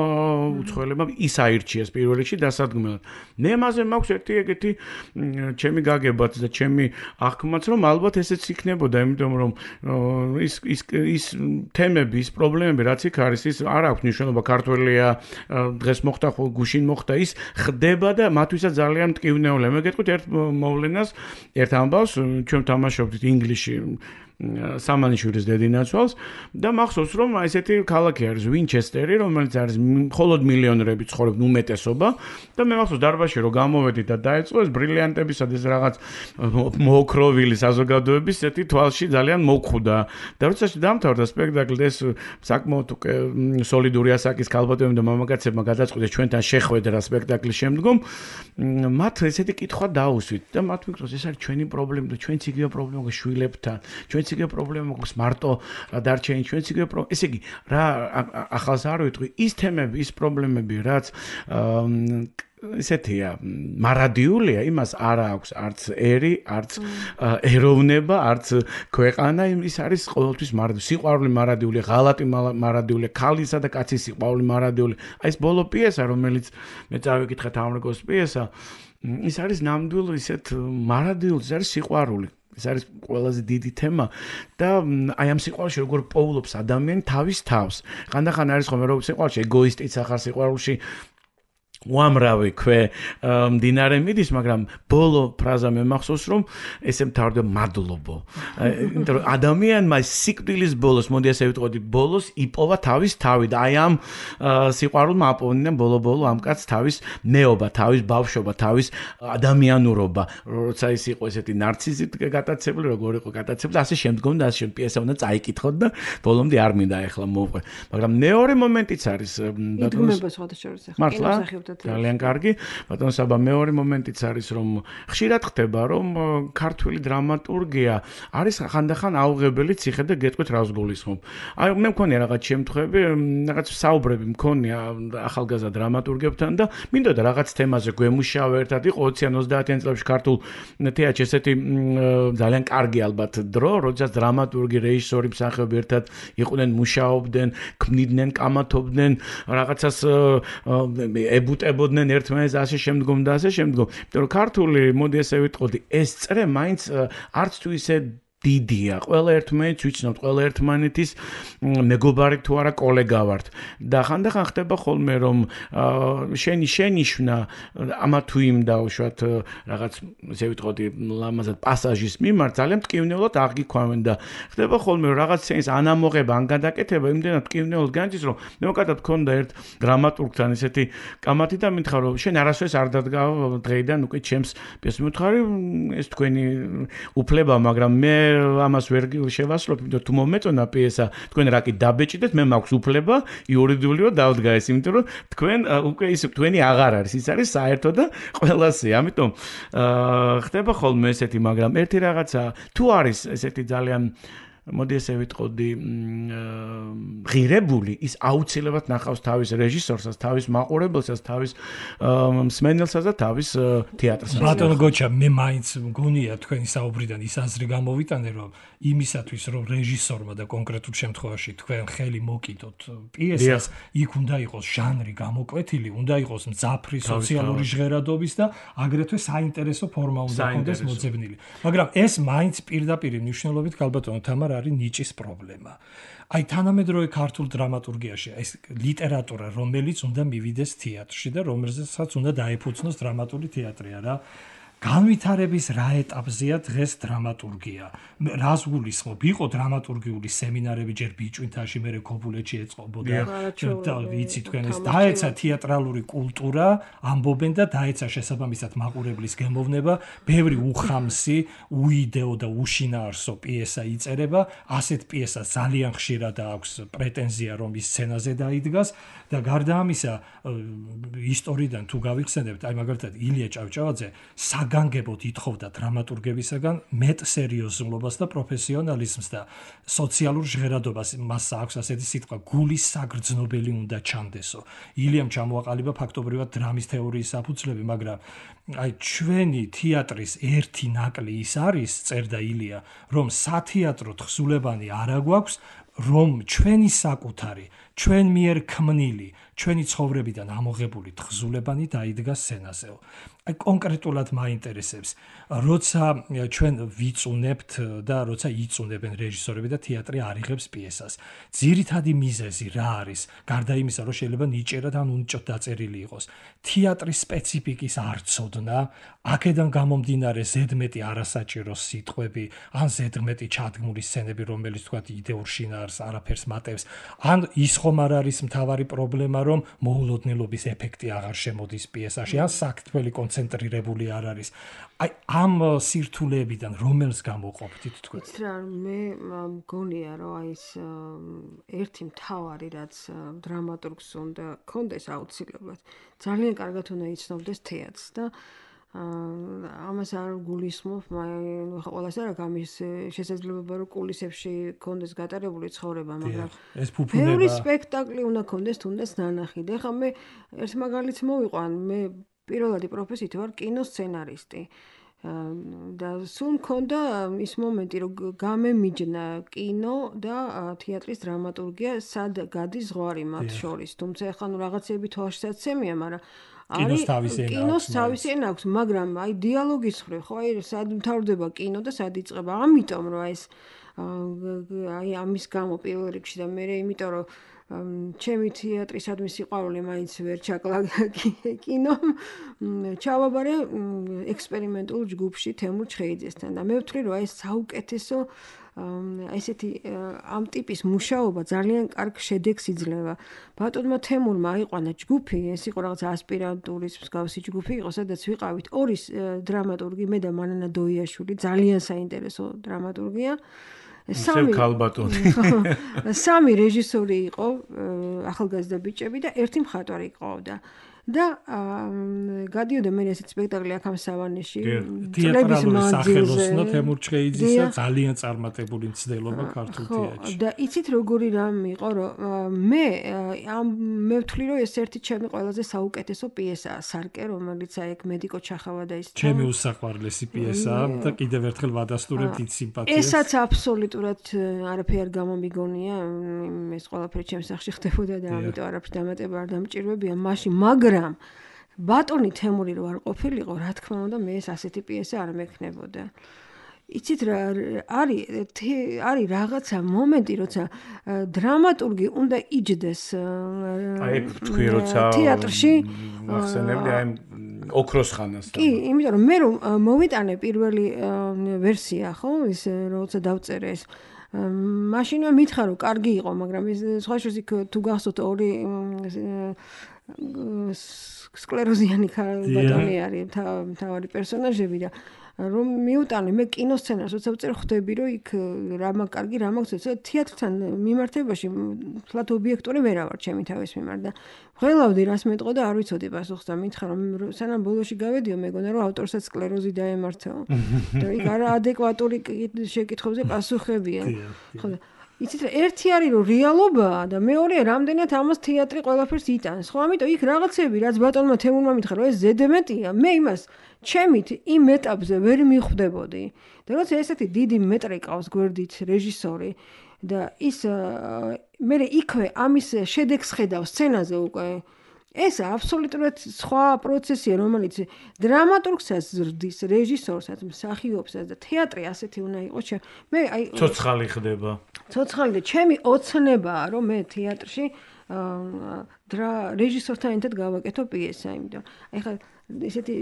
უცხოელებმა ის აირჩიეს პირველ რიგში დასადგმელად მე მასე მაქვს ერთი ეგეთი ჩემი გაგებაც და ჩემი აღქმაც რომ ალბათ ესეც იქნებოდა იმიტომ რომ ის ის ის თემები ის პრობლემები რაც იქ არის ის არ აქვს მნიშვნელობა ქართველია დღეს მოხდა ხო გუშინ მოხდა ის ხდება და მათთვისაც ძალიან მტკივნეულია მე გეტყვით ერთ მოვლენას ერთ ამბავს ჩვენ თამაშობდით ინგლისში სამანიშვილის დედინაცვალს და მახსოვს რომ ესეთი ქალაქი არის ვინჩესტერი რომელიც არის მხოლოდ მილიონერები ცხოვრობენ უმეტესობა და მე მახსოვს დარბაზში რომ გამოვედი და დაეწყო ეს ბრილიანტებისა და ეს რაღაც მოოქროვილი საზოგადოების ესეთი თვალში ძალიან მოგხვდა და როცა დამთავრდა სპექტაკლი ეს საკმაოდ უკვე სოლიდური ასაკის ქალბატონებმა და მამაკაცებმა გადაწყვიტეს ჩვენთან შეხვედრა სპექტაკლის შემდგომ მათ ესეთი კითხვა დაუსვით და მათ ვიქროს ეს არის ჩვენი პრობლემა და ჩვენც იგივე პრობლემა გვაქვს შვილებთან ჩვენც იგივე პრობლემა გვაქვს მარტო დარჩენი ჩვენც იგივე პრობლემა ესე იგი რა ახალს არ ვიტყვი ის თემები ის პრობლემები რაც ესეთია მარადიულია იმას არ აქვს არც ერი არც ეროვნება არც ქვეყანა ის არის ყოველთვის მარადიული სიყვარული მარადიული ღალატი მარადიული ქალისა და კაცის სიყვარული მარადიული აი ეს ბოლო პიესა რომელიც მე წავიკითხე თამრიკოს პიესა ის არის ნამდვილ ისეთ მარადიულს ის არის სიყვარული ეს არის ყველაზე დიდი თემა და აი ამ სიყვარულში როგორ პოულობს ადამიანი თავის თავს ხანდახან არის ხოლმე რომ სიყვარულში ეგოისტიც ახარ სიყვარულში უამრავი ქვე მდინარე მიდის, მაგრამ ბოლო ფრაზა მე მახსოვს რომ ესე მთავრდება მადლობო. იმიტომ რომ ადამიანმა სიკვდილის ბოლოს, მოდი ასე ვიტყოდი, ბოლოს იპოვა თავის თავი და აი ამ სიყვარულმა აპოვნია ბოლო-ბოლო ამ კაცს თავის მეობა, თავის ბავშვობა, თავის ადამიანურობა. როცა ის იყო ესეთი ნარციზით გატაცებული, როგორ იყო გატაცებული, ასე შემდგომ და ასე პიესა უნდა წაიკითხოთ და ბოლომდე არ მინდა ახლა მოვყვე. მაგრამ მეორე მომენტიც არის იდგმება სხვადასხვა კინოსახიობთა ძალიან კარგი. ბატონ საბა მეორე მომენტიც არის რომ ხშირად ხდება რომ ქართული დრამატურგია არის ხანდახან აუღებელი ციხე და გეტყვით რას გულისხმობ. აი მე მქონია რაღაც შემთხვევები, რაღაც საუბრები მქონია ახალგაზრდა დრამატურგებთან და მინდოდა რაღაც თემაზე გვემუშავა ერთად იყო ოციან ოცდაათიან წლებში ქართულ თეატრში ესეთი ძალიან კარგი ალბათ დრო, როდესაც დრამატურგი, რეჟისორი, მსახიობი ერთად იყვნენ, მუშაობდნენ, ქმნიდნენ, კამათობდნენ, რაღაცას ებუტებოდნენ ერთმანეთს ასე შემდგომ და ასე შემდგომ. იმიტომ რომ ქართული, მოდი ასე ვიტყოდი, ეს წრე მაინც არც თუ ისე დიდია. ყველა ერთმანეთს ვიცნობთ, ყველა ერთმანეთის მეგობარი თუ არა კოლეგა ვართ. და ხანდახან ხდება ხოლმე რომ შენი შენიშვნა ამა თუ იმ დაუშვათ რაღაც ესე ვიტყოდი ლამაზად პასაჟის მიმართ ძალიან მტკივნეულად აღიქვამენ და ხდება ხოლმე რომ რაღაც სცენის ანამოღება ან გადაკეთება იმდენად მტკივნეულად განიცდის რომ მე მოკადად მქონდა ერთ დრამატურგთან ესეთი კამათი და მითხრა რომ შენ არასოდეს არ დადგავ დღეიდან უკვე ჩემს პიესას მითხარი ეს თქვენი უფლება მაგრამ მე ამას ვერ შევასრულებ, იმიტომ თუ მომეწონა პიესა, თქვენ რა კი დაბეჭდეთ, მე მაქვს უფლება იურიდიულად დავდგა ეს, იმიტომ რომ თქვენ უკვე ის თქვენი აღარ არის, ის არის საერთო და ყველასე. ამიტომ ხდება ხოლმე ესეთი, მაგრამ ერთი რაღაცა თუ არის ესეთი ძალიან მოდი ესე ვიტყოდი ღირებული ის აუცილებლად ნახავს თავის რეჟისორსაც, თავის მაყურებელსაც, თავის მსმენელსაც და თავის თეატრსაც. ბატონო გოჩა, მე მაინც მგონია თქვენი საუბრიდან ის აზრი გამოვიტანე, რომ იმისათვის რომ რეჟისორმა და კონკრეტულ შემთხვევაში თქვენ ხელი მოკიდოთ პიესას, იქ უნდა იყოს ჟანრი გამოკვეთილი, უნდა იყოს მძაფრი სოციალური ჟღერადობის და აგრეთვე საინტერესო ფორმა უნდა ჰქონდეს მოძებნილი. მაგრამ ეს მაინც პირდაპირ მნიშვნელობით გალბატონო თამარ არის ნიჭის პრობლემა. აი თანამედროვე ქართულ დრამატურგიაში ეს ლიტერატურა, რომელიც უნდა მივიდეს თეატრში და რომელზეც უნდა დაეფუძნოს დრამატული თეატრი არა. განვითარების რა ეტაპზეა დღეს დრამატურგია? რას გულისხმობ? იყო დრამატურგიული სემინარები ჯერ ბიჭვინთაში, მერე ქობულეთში ეწყობოდა და ვიცი თქვენ ეს დაეცა თეატრალური კულტურა, ამბობენ და დაეცა შესაბამისად მაყურებლის გემოვნება, ბევრი უხამსი, უიდეო და უშინაარსო პიესა იწერება, ასეთ პიესას ძალიან ხშირად აქვს პრეტენზია რომ ის სცენაზე დაიდგას და გარდა ამისა ისტორიიდან თუ გავიხსენებთ, აი მაგალითად ილია ჭავჭავაძე საგანგებოდ ითხოვდა დრამატურგებისაგან მეტ სერიოზულობას და პროფესიონალიზმს და სოციალურ ჟღერადობას. მას აქვს ასეთი სიტყვა გულის საგრძნობელი უნდა ჩანდესო. ილიამ ჩამოაყალიბა ფაქტობრივად დრამის თეორიის საფუძვლები, მაგრამ აი ჩვენი თეატრის ერთი ნაკლი ის არის, წერდა ილია, რომ სათეატრო თხზულებანი არა გვაქვს, რომ ჩვენი საკუთარი, ჩვენ მიერ ქმნილი, ჩვენი ცხოვრებიდან ამოღებული თხზულებანი დაიდგა სცენაზეო. აი კონკრეტულად მაინტერესებს, როცა ჩვენ ვიწუნებთ და როცა იწუნებენ რეჟისორები და თეატრი არიღებს პიესას. ძირითადი მიზეზი რა არის? გარდა იმისა, რომ შეიძლება ნიჭერად ან უნიჭოდ დაწერილი იყოს. თეატრის სპეციფიკის არცოდნა, აქედან გამომდინარე ზედმეტი არასაჭირო სიტყვები, ან ზედმეტი ჩადგმული სცენები, რომელიც თქვა იდეურ შინაარს არაფერს მატებს, ან ის ხომ არ არის მთავარი პრობლემა, რომ მოულოდნელობის ეფექტი აღარ შემოდის პიესაში, ან საქმრელი კონცენტრირებული არ არის. აი ამ სირთულეებიდან რომელს გამოყოფთ თქვენ? იცით რა, მე მგონია რომ აი ეს ერთი მთავარი რაც დრამატურგს უნდა კონდეს აუცილებლად, ძალიან კარგად უნდა იცნობდეს თეატრს და ამას არ გულისხმობ, მაგრამ ყველას არ აქვს ამის შესაძლებლობა რომ კულისებში კონდეს გატარებული ცხოვრება, მაგრამ ეს ფუფუნება ბევრი სპექტაკლი უნდა კონდეს თუნდაც ნანახი. და ხა მე ერთ მაგალითს მოვიყვან, მე პირველადი პროფესიით ვარ კინოსცენარისტი. და სულ მქონდა ის მომენტი, რომ გამემიჯნა კინო და თეატრის დრამატურგია, სად გადის ზღვარი მათ შორის. თუმცა ახლა ნუ რაღაცები თვალშისაცემია, მაგრამ კინოს თავისი ენა აქვს. კინოს თავისი ენა აქვს, მაგრამ აი დიალოგის ხრი, ხო, აი სად მთავრდება კინო და სად იწყება. ამიტომ რომ აი ეს აი ამის გამო პირველ რიგში და მე იმიტომ რომ ჩემი თეატრისადმი სიყვარული მაინც ვერ ჩაკლა კინომ, ჩავაბარე ექსპერიმენტულ ჯგუფში თემურ ჩხეიძესთან და მე ვთვლი რომ აი ეს საუკეთესო ესეთი ამ ტიპის მუშაობა ძალიან კარგ შედეგს იძლევა. ბატონმა თემურმა აიყვანა ჯგუფი, ეს იყო რაღაც ასპირანტურის მსგავსი ჯგუფი იყო, სადაც ვიყავით ორი დრამატურგი, მე და მანანა დოიაშვილი, ძალიან საინტერესო დრამატურგია. სამი ქალბატონი. სამი რეჟისორი იყო, ახალგაზრდა ბიჭები და ერთი მხატვარი ყავდა. და გადიოდა მე ესეთ სპექტაკლი აქ ამ სავანეში თეატრალური სახელოსნო თემურ ჩხეიძისა ძალიან წარმატებული მცდელობა ქართულ თეატრში. და იცით როგორი რამ იყო, რომ მე ამ მე ვთვლი რომ ეს ერთი ჩემი ყველაზე საუკეთესო პიესაა სარკე, რომელიც აი ეგ მედიკო ჩახავა და ის ჩემი უსაყვარლესი პიესაა და კიდევ ერთხელ ვადასტურებთ ით სიმპათიას. ესაც აბსოლუტურად არაფერი არ გამომიგონია, ეს ყველაფერი ჩემს სახში ხდებოდა და ამიტომ არაფერი დამატება არ დამჭირვებია მაშინ, მაგრამ ბატონი თემური რო არ ყოფილიყო, რა თქმა უნდა, მე ეს ასეთი პიესა არ მექნებოდა. იცით რა არის არის რაღაცა მომენტი, როცა დრამატურგი უნდა იჯდეს აი თქვი როცა თეატრში ახსენებდი აი ოქროს ხანას. კი, იმიტომ რომ მე რომ მოვიტანე პირველი ვერსია, ხო, ის როცა დავწერე ეს მაშინვე მითხრა რომ კარგი იყო, მაგრამ ეს სხვა შორის იქ თუ გახსოვთ ორი სკლეროზიანი ბატონი არის თავი პერსონაჟები და რომ მიუტანე მე კინოსცენარს როცა ვწერ ხვდები რომ იქ რამა კარგი რამა გწევს თეატრთან მიმართებაში თლათ ობიექტური ვერ ავარ ჩემი თავის მიმართ და ველავდი რას მეტყო და არ ვიცოდი პასუხს და მითხრა რომ სანამ ბოლოში გავედიო მეგონა რომ ავტორსაც სკლეროზი დაემართაო და იქ არა ადეკვატური შეკითხვებზე პასუხებია ხო და იცით რა ერთი არის რომ რეალობაა და მეორეა რამდენად ამას თეატრი ყველაფერს იტანს ხო ამიტომ იქ რაღაცები რაც ბატონმა თემურმა მითხრა რომ ეს ზედმეტია მე იმას ჩემით იმ ეტაპზე ვერ მიხვდებოდი და როცა ესეთი დიდი მეტრე ყავს გვერდით რეჟისორი და ის მე იქვე ამის შედეგს ხედავ სცენაზე უკვე ეს აბსოლუტურად სხვა პროცესია რომელიც დრამატურგსაც ზრდის რეჟისორსაც მსახიობსაც და თეატრი ასეთი უნდა იყოს მე აი ცოცხალი ხდება ცოცხალი და ჩემი ოცნებაა რომ მე თეატრში დრა რეჟისორთან ერთად გავაკეთო პიესა იმიტომ აი ხა ესეთი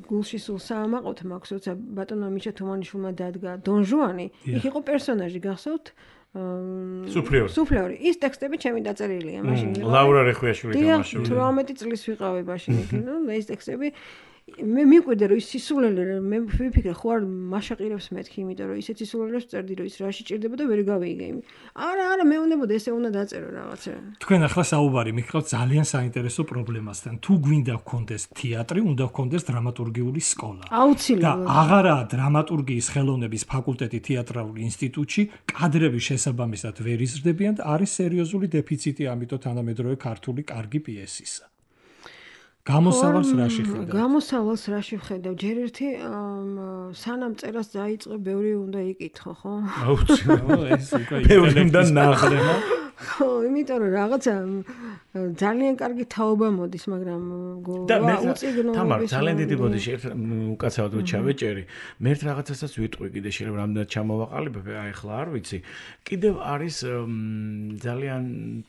გულში სულ საამაყოთ მაქვს როცა ბატონმა მიშა თუმანიშვილმა დადგა დონ ჟუანი იქ იყო პერსონაჟი გახსოვთ სუფლეური სუფლეური ის ტექსტები ჩემი დაწერილია მაშინ ლაურა რეხვიაშვილი თამაშობდა თვრამეტი წლის ვიყავი მაშინ იქ და ეს ტექსტები მე მიყვირდა რომ ის სისულელე მე ვიფიქრე ხო არ მაშაყირებს მეთქი იმიტომ რომ ისეთ სისულელებს წერდი რომ ის რაში ჭირდება და ვერ გავიგე იმ არა არა მე უნებოდა ესე უნდა დაწერო რაღაცა თქვენ ახლა საუბარი მიხავთ ძალიან საინტერესო პრობლემასთან თუ გვინდა გქონდეს თეატრი უნდა გქონდეს დრამატურგიული სკოლა აუცილებლად და აღარა დრამატურგიის ხელოვნების ფაკულტეტი თეატრალურ ინსტიტუტში კადრების შესაბამისად ვერ იზრდებიან და არის სერიოზული დეფიციტი ამიტომ თანამედროვე ქართული კარგი პიესისა გამოსავალს რაში ხედავ? გამოსავალს რაში ხედავ? ჯერ ერთი სანამ წერას დაიწყე, ბევრი უნდა იკითხო, ხო? აუცილებლად ეს უკვე ინტელექტის ნახრება. ხო, იმიტომ რომ რაღაცა ძალიან კარგი თაობა მოდის, მაგრამ უწიგნო თამარ ძალიან დიდი ბოდიში ერთ უკაცრავად რო ჩავეჭერი, მე ერთ რაღაცასაც ვიტყვი კიდე შეიძლება რამდენად ჩამოვაყალიბებ, აი ახლა არ ვიცი. კიდევ არის ძალიან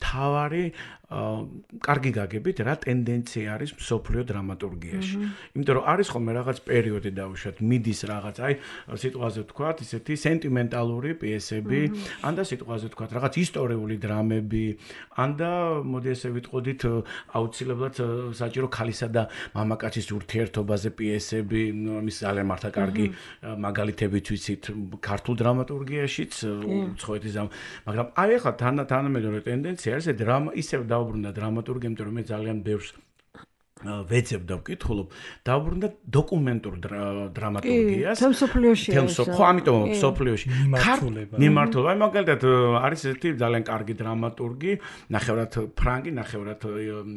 თავარი კარგი გაგებით რა ტენდენცია არის მსოფლიო დრამატურგიაში. იმიტომ რომ არის ხოლმე რაღაც პერიოდი დავუშვათ, მიდის რაღაც, აი სიტყვაზე ვთქვათ, ისეთი სენტიმენტალური პიესები, ან და სიტყვაზე ვთქვათ, რაღაც ისტორიული დრამები, ან და მოდი ესე ვიტყოდით, აუცილებლად საჭირო ქალისა და მამაკაცის ურთიერთობაზე პიესები, ის ძალიან მართა კარგი მაგალითებიც ვიცით ქართულ დრამატურგიაშიც, უცხოეთის, მაგრამ აი ახლა თანამედროვე ტენდენცია არის დრამა ისევ დაუბრუნდა დრამატურგია, იმიტომ რომ მე ძალიან ბევრს ვეცებ და ვკითხულობ, დაუბრუნდა დოკუმენტურ დრამატურგიას. თემ სოფლიოში. თემ სოფლიოში. ხო, ამიტომ სოფლიოში. მიმართულება. მიმართულება. აი მაგალითად არის ესეთი ძალიან კარგი დრამატურგი, ნახევრად ფრანგი, ნახევრად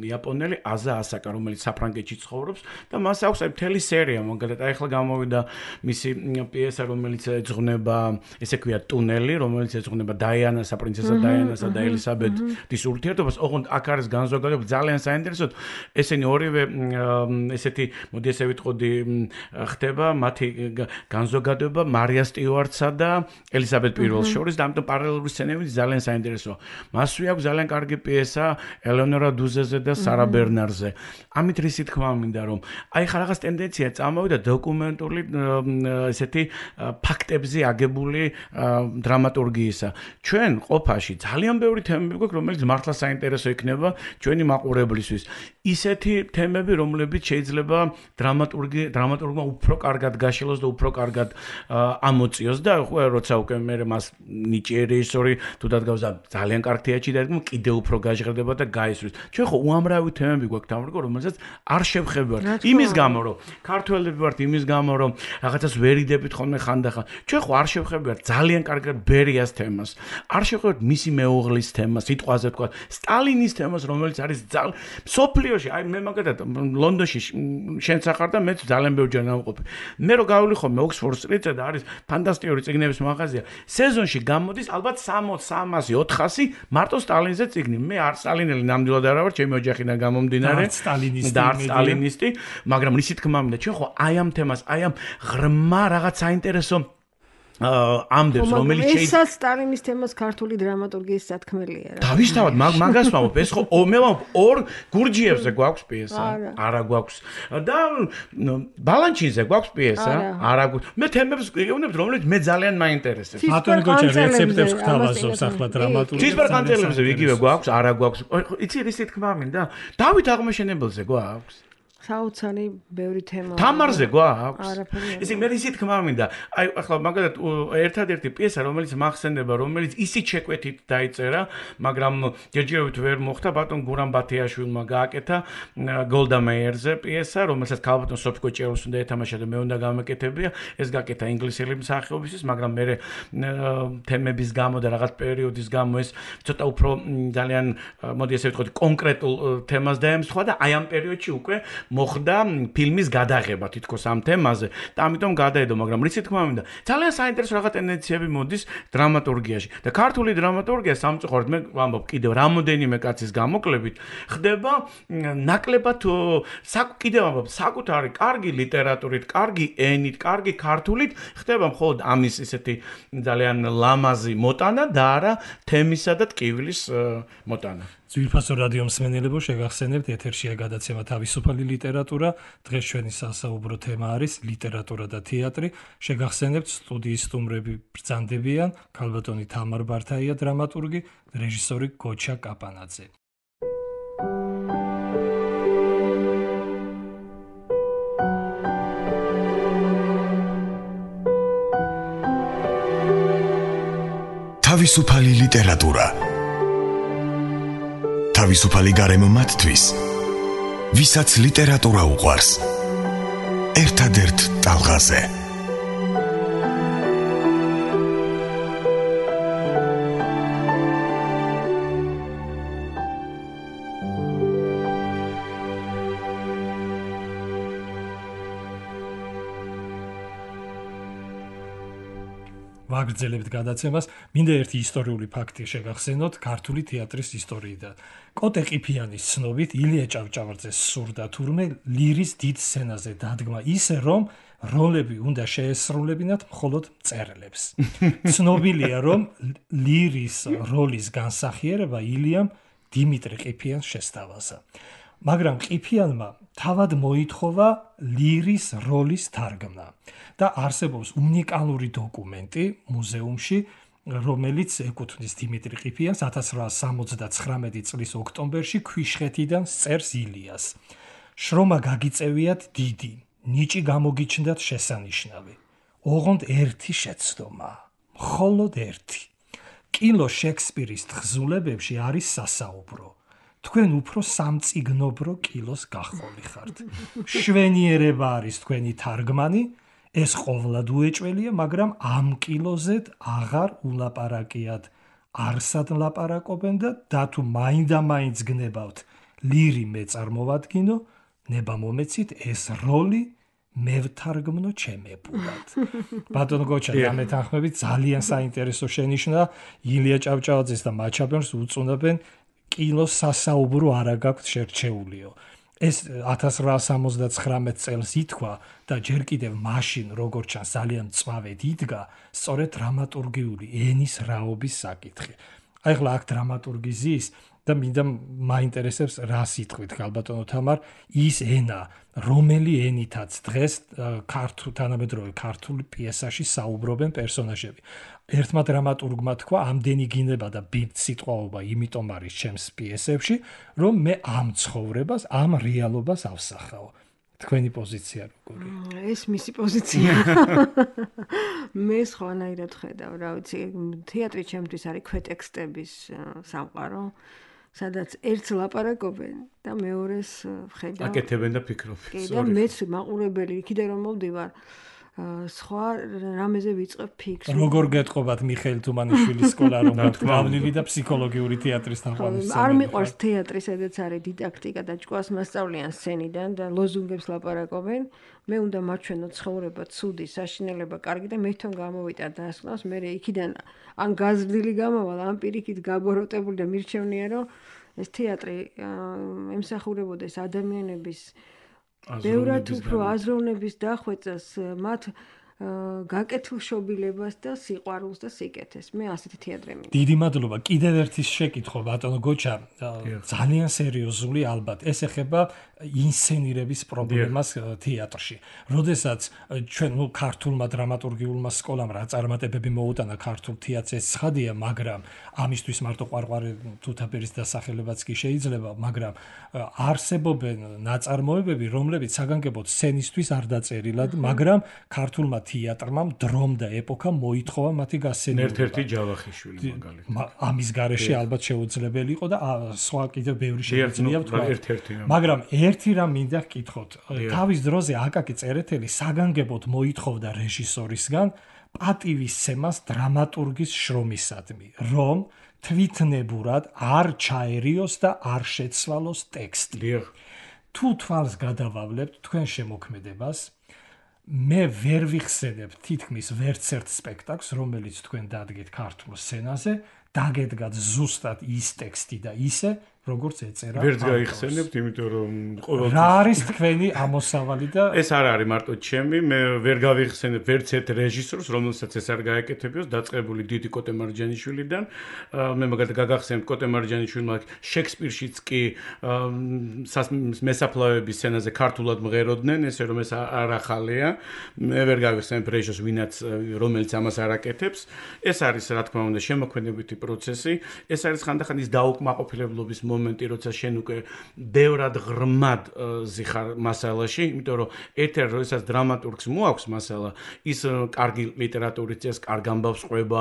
იაპონელი, აზა ასაკა, რომელიც საფრანგეთში ცხოვრობს და მას აქვს აი მთელი სერია, მაგალითად აი ახლა გამოვიდა მისი პიესა, რომელიც ეძღვნება, ესე ქვია ტუნელი, რომელიც ეძღვნება დაიანასა, პრინცესა დაიანასა და ელისაბედის ურთიერთობას. ოღონდ აქ არის განზოგადება ძალიან საინტერესო. ესენი ორივე ესეთი მოდი ესე ვიტყოდი ხდება მათი განზოგადება მარია სტიუარტსა და ელისაბედ პირველს შორის და ამიტომ პარალელური სცენები ძალიან საინტერესოა. მასვე აქვს ძალიან კარგი პიესა ელეონორა დუზეზე და სარა ბერნარზე. ამით რისი თქმა მინდა რომ აი ხა რაღაც ტენდენცია წამოვიდა დოკუმენტური ესეთი ფაქტებზე აგებული დრამატურგიისა. ჩვენ ყოფაში ძალიან ბევრი თემები გვაქვს რომელიც მართლა საინტერესო იქნება ჩვენი მაყურებლისთვის. ისეთი თემები, რომლებიც შეიძლება დრამატურგი დრამატურგმა უფრო კარგად გაშილოს და უფრო კარგად ამოწიოს და ხო როცა უკვე მე მას ნიჭიერი რეჟისორი თუ დადგავს და ძალიან კარგ თეატრში დადგმ კიდე უფრო გაჟღერდება და გაისვრის. ჩვენ ხო უამრავი თემები გვაქვს თამრგო, რომელსაც არ შევხებავთ. იმის გამო რომ ქართველები ვართ, იმის გამო რომ რაღაცას ვერიდებით ხოლმე ხანდახან. ჩვენ ხო არ შევხებავთ ძალიან კარგად ბერიას თემას. არ შევხებავთ მისი მეუღლის თემას, სიტყვაზე თქვა, სტალინის თემას, რომელიც არის ძალიან სოფლიოში, აი მე მაგალითად ლონდონში შენც ახარ და მეც ძალიან ბევრჯერ ნავყოფი. მე რო გავილი ხოლმე ოქსფორდ სტრიტზე და არის ფანტასტიკური წიგნების მაღაზია. სეზონში გამოდის ალბათ სამოც, სამასი, ოთხასი მარტო სტალინზე წიგნი. მე არ სტალინელი ნამდვილად არ ვარ, ჩემი ოჯახიდან გამომდინარე. და სტალინისტი. და სტალინისტი, მაგრამ რისი თქმა მინდა, ჩვენ ხო აი ამ თემას, აი ამ ღრმა რაღაც საინტერესო ამდებს რომელიც შეიძლება ესაც სტალინის თემას ქართული დრამატურგიის სათქმელია რა. დავისთავად მაგას ვამბობ ეს ხო მე ვამბობ ორ გურჯიევზე გვაქვს პიესა არა გვაქვს და ბალანჩინზე გვაქვს პიესა არა გვაქვს მე თემებს ვიგებნებ რომელიც მე ძალიან მაინტერესებს ბატონი გოჩა რეცეპტებს გთავაზობს ახლა დრამატურგია ცისფერყანწელებზე ვიგივე გვაქვს არა გვაქვს იცი რისი თქმა მინდა დავით აღმაშენებელზე გვაქვს საოცარი ბევრი თემა თამარზე გვაქვს ისე მე ისე თქმა მინდა აი ახლა მაგალითად ერთადერთი პიესა რომელიც მახსენდება რომელიც ისიც შეკვეთით დაიწერა მაგრამ ჯერჯერობით ვერ მოხდა ბატონ გურამ ბათიაშვილმა გააკეთა გოლდა მეიერზე პიესა რომელსაც ქალბატონ სოფიკო ჭერულს უნდა ეთამაშა და მე უნდა გამეკეთებია ეს გააკეთა ინგლისელი მსახიობისთვის მაგრამ მე თემების გამო და რაღაც პერიოდის გამო ეს ცოტა უფრო ძალიან მოდი ესე ვთქვათ კონკრეტულ თემას დაემსხვა და აი ამ პერიოდში უკვე მოხდა ფილმის გადაღება თითქოს ამ თემაზე და ამიტომ გადაედო მაგრამ რითი თქმა მინდა ძალიან საინტერესო რაღაც ტენდენციები მოდის დრამატურგიაში და ქართული დრამატურგია სამწუხაროდ მე ვამბობ კიდევ რამოდენიმე კაცის გამოკლებით ხდება ნაკლებად კიდევ ვამბობ საკუთარი კარგი ლიტერატურით კარგი ენით კარგი ქართულით ხდება მხოლოდ ამის ესეთი ძალიან ლამაზი მოტანა და არა თემისა და ტკივილის მოტანა ძვირფასო რადიო მსმენელებო შეგახსენებთ ეთერშია გადაცემა თავისუფალი ლიტერატურა დღეს ჩვენი სასაუბრო თემა არის ლიტერატურა და თეატრი შეგახსენებთ სტუდიის სტუმრები ბრძანდებიან ქალბატონი თამარ ბართაია დრამატურგი რეჟისორი გოჩა კაპანაძე თავისუფალი ლიტერატურა თავისუფალი გარემო მათთვის, ვისაც ლიტერატურა უყვარს. ერთადერთ ტალღაზე. ვაგრძელებთ გადაცემას, მინდა ერთი ისტორიული ფაქტი შეგახსენოთ ქართული თეატრის ისტორიიდან. კოტე ყიფიანის ცნობით ილია ჭავჭავაძეს სურდა თურმე ლირის დიდ სცენაზე დადგმა ისე რომ როლები უნდა შეესრულებინათ მხოლოდ მწერლებს. ცნობილია რომ ლირის როლის განსახიერება ილიამ დიმიტრი ყიფიანს შესთავაზა. მაგრამ ყიფიანმა თავად მოითხოვა ლირის როლის თარგმნა და არსებობს უნიკალური დოკუმენტი მუზეუმში რომელიც ეკუთვნის დიმიტრი ყიფიანს ათას რვაას სამოცდაცხრამეტი წლის ოქტომბერში ქვიშხეთიდან წერს ილიას. შრომა გაგიწევიათ დიდი, ნიჭი გამოგიჩნდათ შესანიშნავი. ოღონდ ერთი შეცდომა, მხოლოდ ერთი. კილო შექსპირის თხზულებებში არის სასაუბრო. თქვენ უფრო სამწიგნობრო კილოს გახოლი ხართ. შვენიერება არის თქვენი თარგმანი, ეს ყოვლად უეჭველია, მაგრამ ამ კილოზედ აღარ ულაპარაკიათ. არსად ლაპარაკობენ და და თუ მაინდა-მაინც გნებავთ ლირი მე წარმოვადგინო, ნება მომეცით ეს როლი მე ვთარგმნო ჩემებურად. ბატონ გოჩა დამეთანხმებით ძალიან საინტერესო შენიშვნა ილია ჭავჭავაძეს და მაჩაბელს უწუნებენ კილოს სასაუბრო არა გაქვთ შერჩეულიო. ეს ათას რვაას სამოცდაცხრამეტ წელს ითქვა და ჯერ კიდევ მაშინ როგორც ჩანს ძალიან მწვავედ იდგა სწორედ დრამატურგიული ენის რაობის საკითხი. აი ახლა აქ დრამატურგი ზის და მინდა მაინტერესებს რა სიტყვით ქალბატონო თამარ ის ენა რომელი ენითაც დღეს ქართულ თანამედროვე ქართულ პიესაში საუბრობენ პერსონაჟები. ერთმა დრამატურგმა თქვა ამდენი გინება და ბიბ სიტყვაობა იმიტომ არის ჩემს პიესებში რომ მე ამ ცხოვრებას ამ რეალობას ავსახავ. თქვენი პოზიცია როგორია? ეს მისი პოზიცია. მე სხვანაირად ხედავ, რა ვიცი, თეატრი ჩემთვის არის ქვეტექსტების სამყარო, სადაც ერთს ლაპარაკობენ და მეორეს ხედავ. აკეთებენ და ფიქრობენ. კი, და მეც მაყურებელი, იქიდან რომ მოვდივარ, სხვა რამეზე ვიწყებ ფიქრს. როგორ გეტყობათ მიხეილ თუმანიშვილის სკოლა რომ გავლილი და ფსიქოლოგიური თეატრის თაყვანის. არ მიყვარს თეატრი, სადაც არის დიდაქტიკა და ჭკუას მასწავლიან სცენიდან და ლოზუნგებს ლაპარაკობენ. მე უნდა მაჩვენო ცხოვრება, ცუდი, საშინელება, კარგი და მე თვითონ გამოვიტან დასკვნას, მე იქიდან ან გაზრდილი გამავალ, ან პირიქით გაბოროტებული და მირჩევნია რომ ეს თეატრი ემსახურებოდეს ადამიანების ბევრად უფრო აზროვნების დახვეწას, მათ გაკეთილშობილებას და სიყვარულს და სიკეთეს. მე ასეთი თეატრი მინდა. დიდი მადლობა. კიდევ ერთი შეკითხვა ბატონო გოჩა, ძალიან სერიოზული ალბათ. ეს ეხება ინსცენირების პრობლემას თეატრში. როდესაც ჩვენ ნუ ქართულმა დრამატურგიულმა სკოლამ რა წარმატებები მოუტანა ქართულ თეატრს, ეს ცხადია, მაგრამ ამისთვის მარტო ყვარყვარე თუთაფერის დასახელებაც კი შეიძლება, მაგრამ არსებობენ ნაწარმოებები, რომლებიც საგანგებოდ სცენისთვის არ დაწერილად, მაგრამ ქართულმა თეატრმა დრომ და ეპოქა მოითხოვა მათი გასცენირება. ერთ-ერთი ჯავახიშვილი მაგალითად. ამის გარეშე ალბათ შეუძლებელი იყო და სხვა კიდევ ბევრი შეგვიძლია ვთქვა. ერთ-ერთი. მაგრამ ერთი რამ მინდა გკითხოთ. თავის დროზე აკაკი წერეთელი საგანგებოდ მოითხოვდა რეჟისორისგან პატივისცემას დრამატურგის შრომისადმი, რომ თვითნებურად არ ჩაერიოს და არ შეცვალოს ტექსტი. თუ თვალს გადავავლებთ თქვენ შემოქმედებას, მე ვერ ვიხსენებ თითქმის ვერც ერთ სპექტაკლს, რომელიც თქვენ დადგეთ ქართულ სცენაზე, დაგედგათ ზუსტად ის ტექსტი და ისე, როგორც ეწერა. ვერც გაიხსენებთ, იმიტომ რომ ყოველთვის რა არის თქვენი ამოსავალი და ეს არ არის მარტო ჩემი, მე ვერ გავიხსენებ ვერც ერთ რეჟისორს, რომელსაც ეს არ გაეკეთებიოს, დაწყებული დიდი კოტე მარჯანიშვილიდან. მე მაგალითად გაგახსენებ კოტე მარჯანიშვილმა შექსპირშიც კი მესაფლავების სცენაზე ქართულად მღეროდნენ, ესე რომ ეს არ ახალია. მე ვერ გავიხსენებ რეჟისორს, ვინაც რომელიც ამას არ აკეთებს. ეს არის რა თქმა უნდა შემოქმედებითი პროცესი, ეს არის ხანდახან ის დაუკმაყოფილებლობის მომენტი, როცა შენ უკვე ბევრად ღრმად ზიხარ მასალაში, იმიტომ რომ ერთ-ერთ როდესაც დრამატურგს მოაქვს მასალა, ის კარგი ლიტერატურის წესს, კარგ ამბავს ყვება,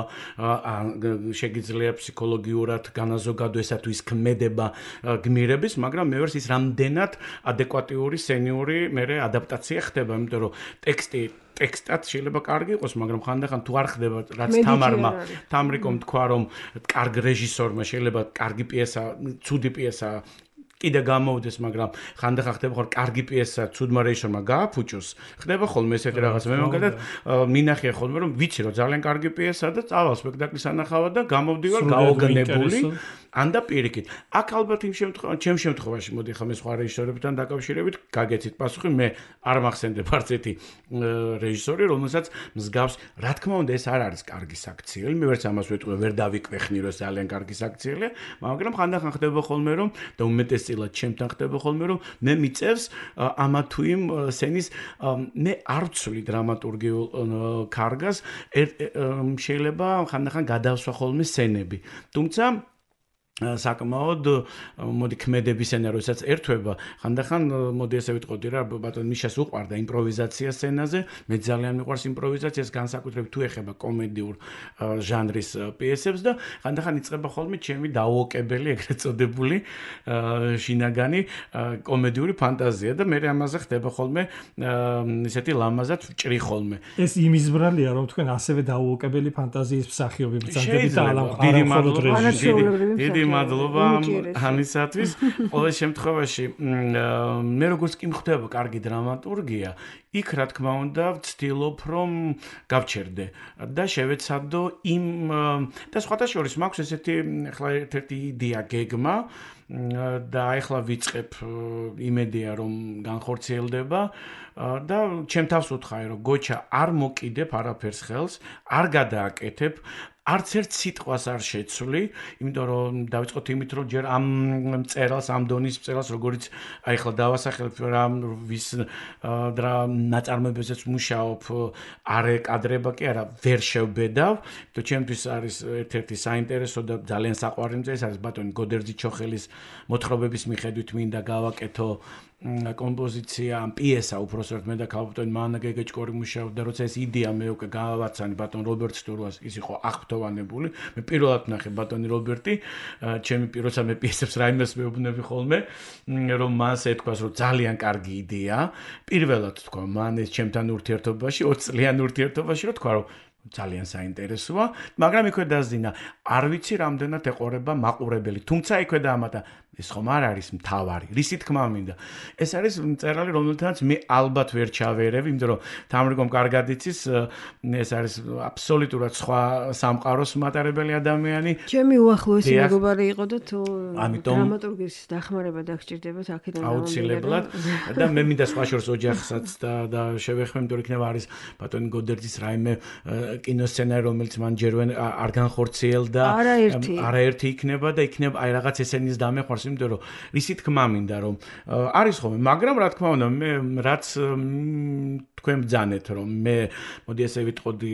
შეგიძლია ფსიქოლოგიურად განაზოგადო ესა თუ ის ქმედება გმირების, მაგრამ მე ვერს ის რამდენად ადეკვატიური სცენიური მერე ადაპტაცია ხდება, იმიტომ რომ ტექსტი ტექსტად შეიძლება კარგი იყოს, მაგრამ ხანდახან თუ არ ხდება, რაც თამარმა, თამრიკომ თქვა, რომ კარგ რეჟისორმა შეიძლება კარგი პიესა, ცუდი პიესა კიდე გამოვიდეს, მაგრამ ხანდახან ხდება ხოლმე კარგი პიესა ცუდმა რეჟისორმა გააფუჭოს, ხდება ხოლმე ესეთი რაღაც. მე მაგალითად მინახია ხოლმე, რომ ვიცი, რომ ძალიან კარგი პიესაა და წავალ სპექტაკლის ანახავად და გამოვდივარ გაოგნებული. ანდა პირიქით. აქ ალბათ იმ შემთხვევაში, ჩემ შემთხვევაში, მოდი ხა მე სხვა რეჟისორებთან დაკავშირებით გაგეცით პასუხი, მე არ მახსენდებ არც ერთი რეჟისორი, რომელსაც მსგავს, რა თქმა უნდა, ეს არ არის კარგი საქციელი, მე ვერც ამას ვეტყვი, ვერ დავიკვეხნი, რომ ეს ძალიან კარგი საქციელია, მაგრამ ხანდახან ხდება ხოლმე, რომ და უმეტესწილად ჩემთან ხდება ხოლმე, რომ მე მიწევს ამა თუ იმ სცენის მე არ ვცვლი დრამატურგიულ კარგას, შეიძლება ხანდახან გადავსვა ხოლმე სცენები. თუმცა საკმაოდ მოდი ქმედების ენა როდესაც ერთვება, ხანდახან მოდი ესე ვიტყოდი რა, ბატონ მიშას უყვარდა იმპროვიზაცია სცენაზე, მე ძალიან მიყვარს იმპროვიზაციას, განსაკუთრებით თუ ეხება კომედიურ ჟანრის პიესებს და ხანდახან იწყება ხოლმე ჩემი დაუოკებელი, ეგრეთ წოდებული შინაგანი კომედიური ფანტაზია და მე ამაზე ხდება ხოლმე ისეთი ლამაზად ვჭრი ხოლმე. ეს იმის ბრალია, რომ თქვენ ასევე დაუოკებელი ფანტაზიის მსახიობი ბრძანდებით და დიდი მადლობა მადლობა ამისათვის. ყოველ შემთხვევაში მე როგორც კი მხვდება კარგი დრამატურგია, იქ რა თქმა უნდა ვცდილობ რომ გავჩერდე და შევეცადო იმ და სხვათა შორის მაქვს ესეთი ახლა ერთ-ერთი იდეა გეგმა და ახლა ვიწყებ იმედია რომ განხორციელდება და ჩემ თავს ვუთხარი რომ გოჩა არ მოკიდებ არაფერს ხელს, არ გადააკეთებ არც ერთ სიტყვას არ შეცვლი, იმიტომ რომ დავიწყოთ იმით, რომ ჯერ ამ წერალს, ამ დონის წერალს, როგორც აი ახლა დავასახელებ რა ვის და ნაწარმოებებზეც მუშაობ, არ ეკადრება კი არა, ვერ შევბედავ, იმიტომ ჩემთვის არის ერთ-ერთი საინტერესო და ძალიან საყვარელი მწერალი, ეს არის ბატონი გოდერძი-ჩოხელის მოთხრობების მიხედვით მინდა გავაკეთო კომპოზიცია, პიესა უпроსტად მე და ქალბატონი მანა გეგეჭკორი მუშაობდა და როცა ეს იდეა მე უკვე გავავაცანი ბატონ რობერტ სტურვას, ის იყო აღფრთოვანებული. მე პირველად ნახე ბატონი რობერტი, ჩემი როცა მე პიესებს რაიმეს მეუბნები ხოლმე, რომ მას ეთქვას, რომ ძალიან კარგი იდეა. პირველად თქვა, მან ეს ჩემთან ურთიერთობაში, ოც წლიან ურთიერთობაში, რომ თქვა, რომ ძალიან საინტერესოა, მაგრამ იქვე დაზინა, არ ვიცი რამდენად ეყურება მაყურებელი. თუმცა იქვე დაამატა, ეს ხომ არ არის მთავარი. რისი თქმა მინდა. ეს არის მწერალი, რომელთანაც მე ალბათ ვერ ჩავერევ, იმიტომ რომ თამრიკომ კარგად იცის, ეს არის აბსოლუტურად სხვა სამყაროს მატარებელი ადამიანი. ჩემი უახლოესი მეგობარი იყო და თუ დრამატურგის დახმარება დაგჭირდებათ აქედან აუცილებლად და მე მინდა სხვა შორს ოჯახსაც და და შევეხმე, იმიტომ რომ იქნება არის ბატონი გოდერძის რაიმე კინოსცენარი, რომელიც მან ჯერვენ არ განხორციელდა, არაერთი იქნება და იქნება აი რაღაც ესენის დამეყვარს, იმიტომ რომ რისი თქმა მინდა რომ არის ხოლმე, მაგრამ რა თქმა უნდა მე რაც თქვენ ბძანეთ რომ მე მოდი ესე ვიტყოდი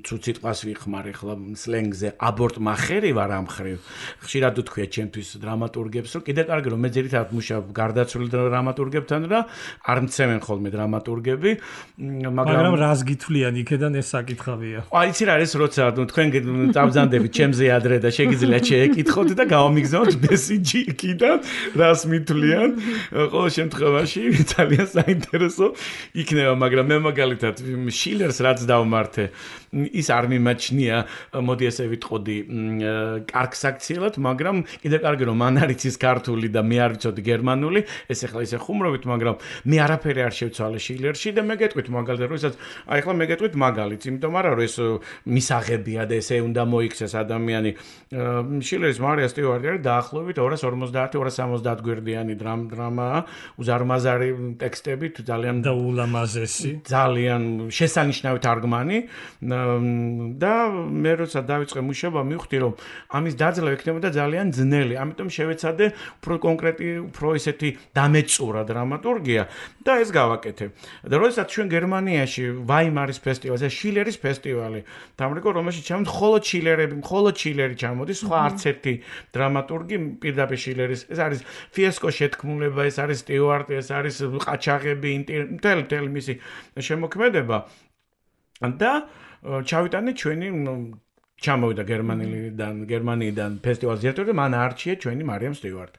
ცუც სიტყვას ვიხმარ ახლა სლენგზე აბორტ მახერი ვარ ამ მხრივ ხშირად უთქვია ჩემთვის დრამატურგებს რომ კიდე კარგი რომ მე ძირითადად მუშაობ გარდაცვლილ დრამატურგებთან და არ მცემენ ხოლმე დრამატურგები მაგრამ რას გითვლიან იქედან ეს საკითხავია აი იცი რა არის როცა თქვენ წაბძანდებით ჩემზე ადრე და შეგიძლიათ შეეკითხოთ და გავამიგზავნოთ მესიჯი იქიდან რას მითვლიან ყოველ შემთხვევაში ძალიან საინტერესო იქნება მაგრამ მე მაგალითად შილერს რაც დავმართე ის არ მიმაჩნია მოდი ესე ვიტყოდი კარგ საქციელად მაგრამ კიდე კარგი რომ მან არ იცის ქართული და მე არ ვიცოდი გერმანული ეს ახლა ისე ხუმრობით მაგრამ მე არაფერი არ შევცვალე შილერში და მე გეტყვით მაგალითად როდესაც აი ახლა მე გეტყვით მაგალითს იმიტომ არა რომ ეს მისაღებია და ესე უნდა მოიქცეს ადამიანი შილერის მარია სტიუარტი არის დაახლოებით ორას ორმოცდაათი ორას სამოცდაათ გვერდიანი დრამა უზარმაზარი ტექსტებით ძალიან და ულამაზესი ძალიან შესანიშნავი თარგმანი და მე როცა დავიწყე მუშაობა მივხვდი რომ ამის დაძლევა იქნებოდა ძალიან ძნელი ამიტომ შევეცადე უფრო კონკრეტი უფრო ისეთი დამეწურა დრამატურგია და ეს გავაკეთე და როდესაც ჩვენ გერმანიაში ვაიმარის ფესტივალზე შილერის ფესტივალი დამრიგო რომელშიც ჩამოდი მხოლოდ შილერები მხოლოდ შილერი ჩამოდის სხვა არც ერთი დრამატურგი პირდაპირ შილერის ეს არის ფიესკო შეთქმულება ეს არის სტიუარტი ეს არის ყაჩაღები ინტელი თელი მისი შემოქმედება და ჩავიტანე ჩვენი ჩამოვიდა გერმანიიდან გერმანიიდან ფესტივალის დირექტორი მან არჩია ჩვენი მარიამ სტიუარტი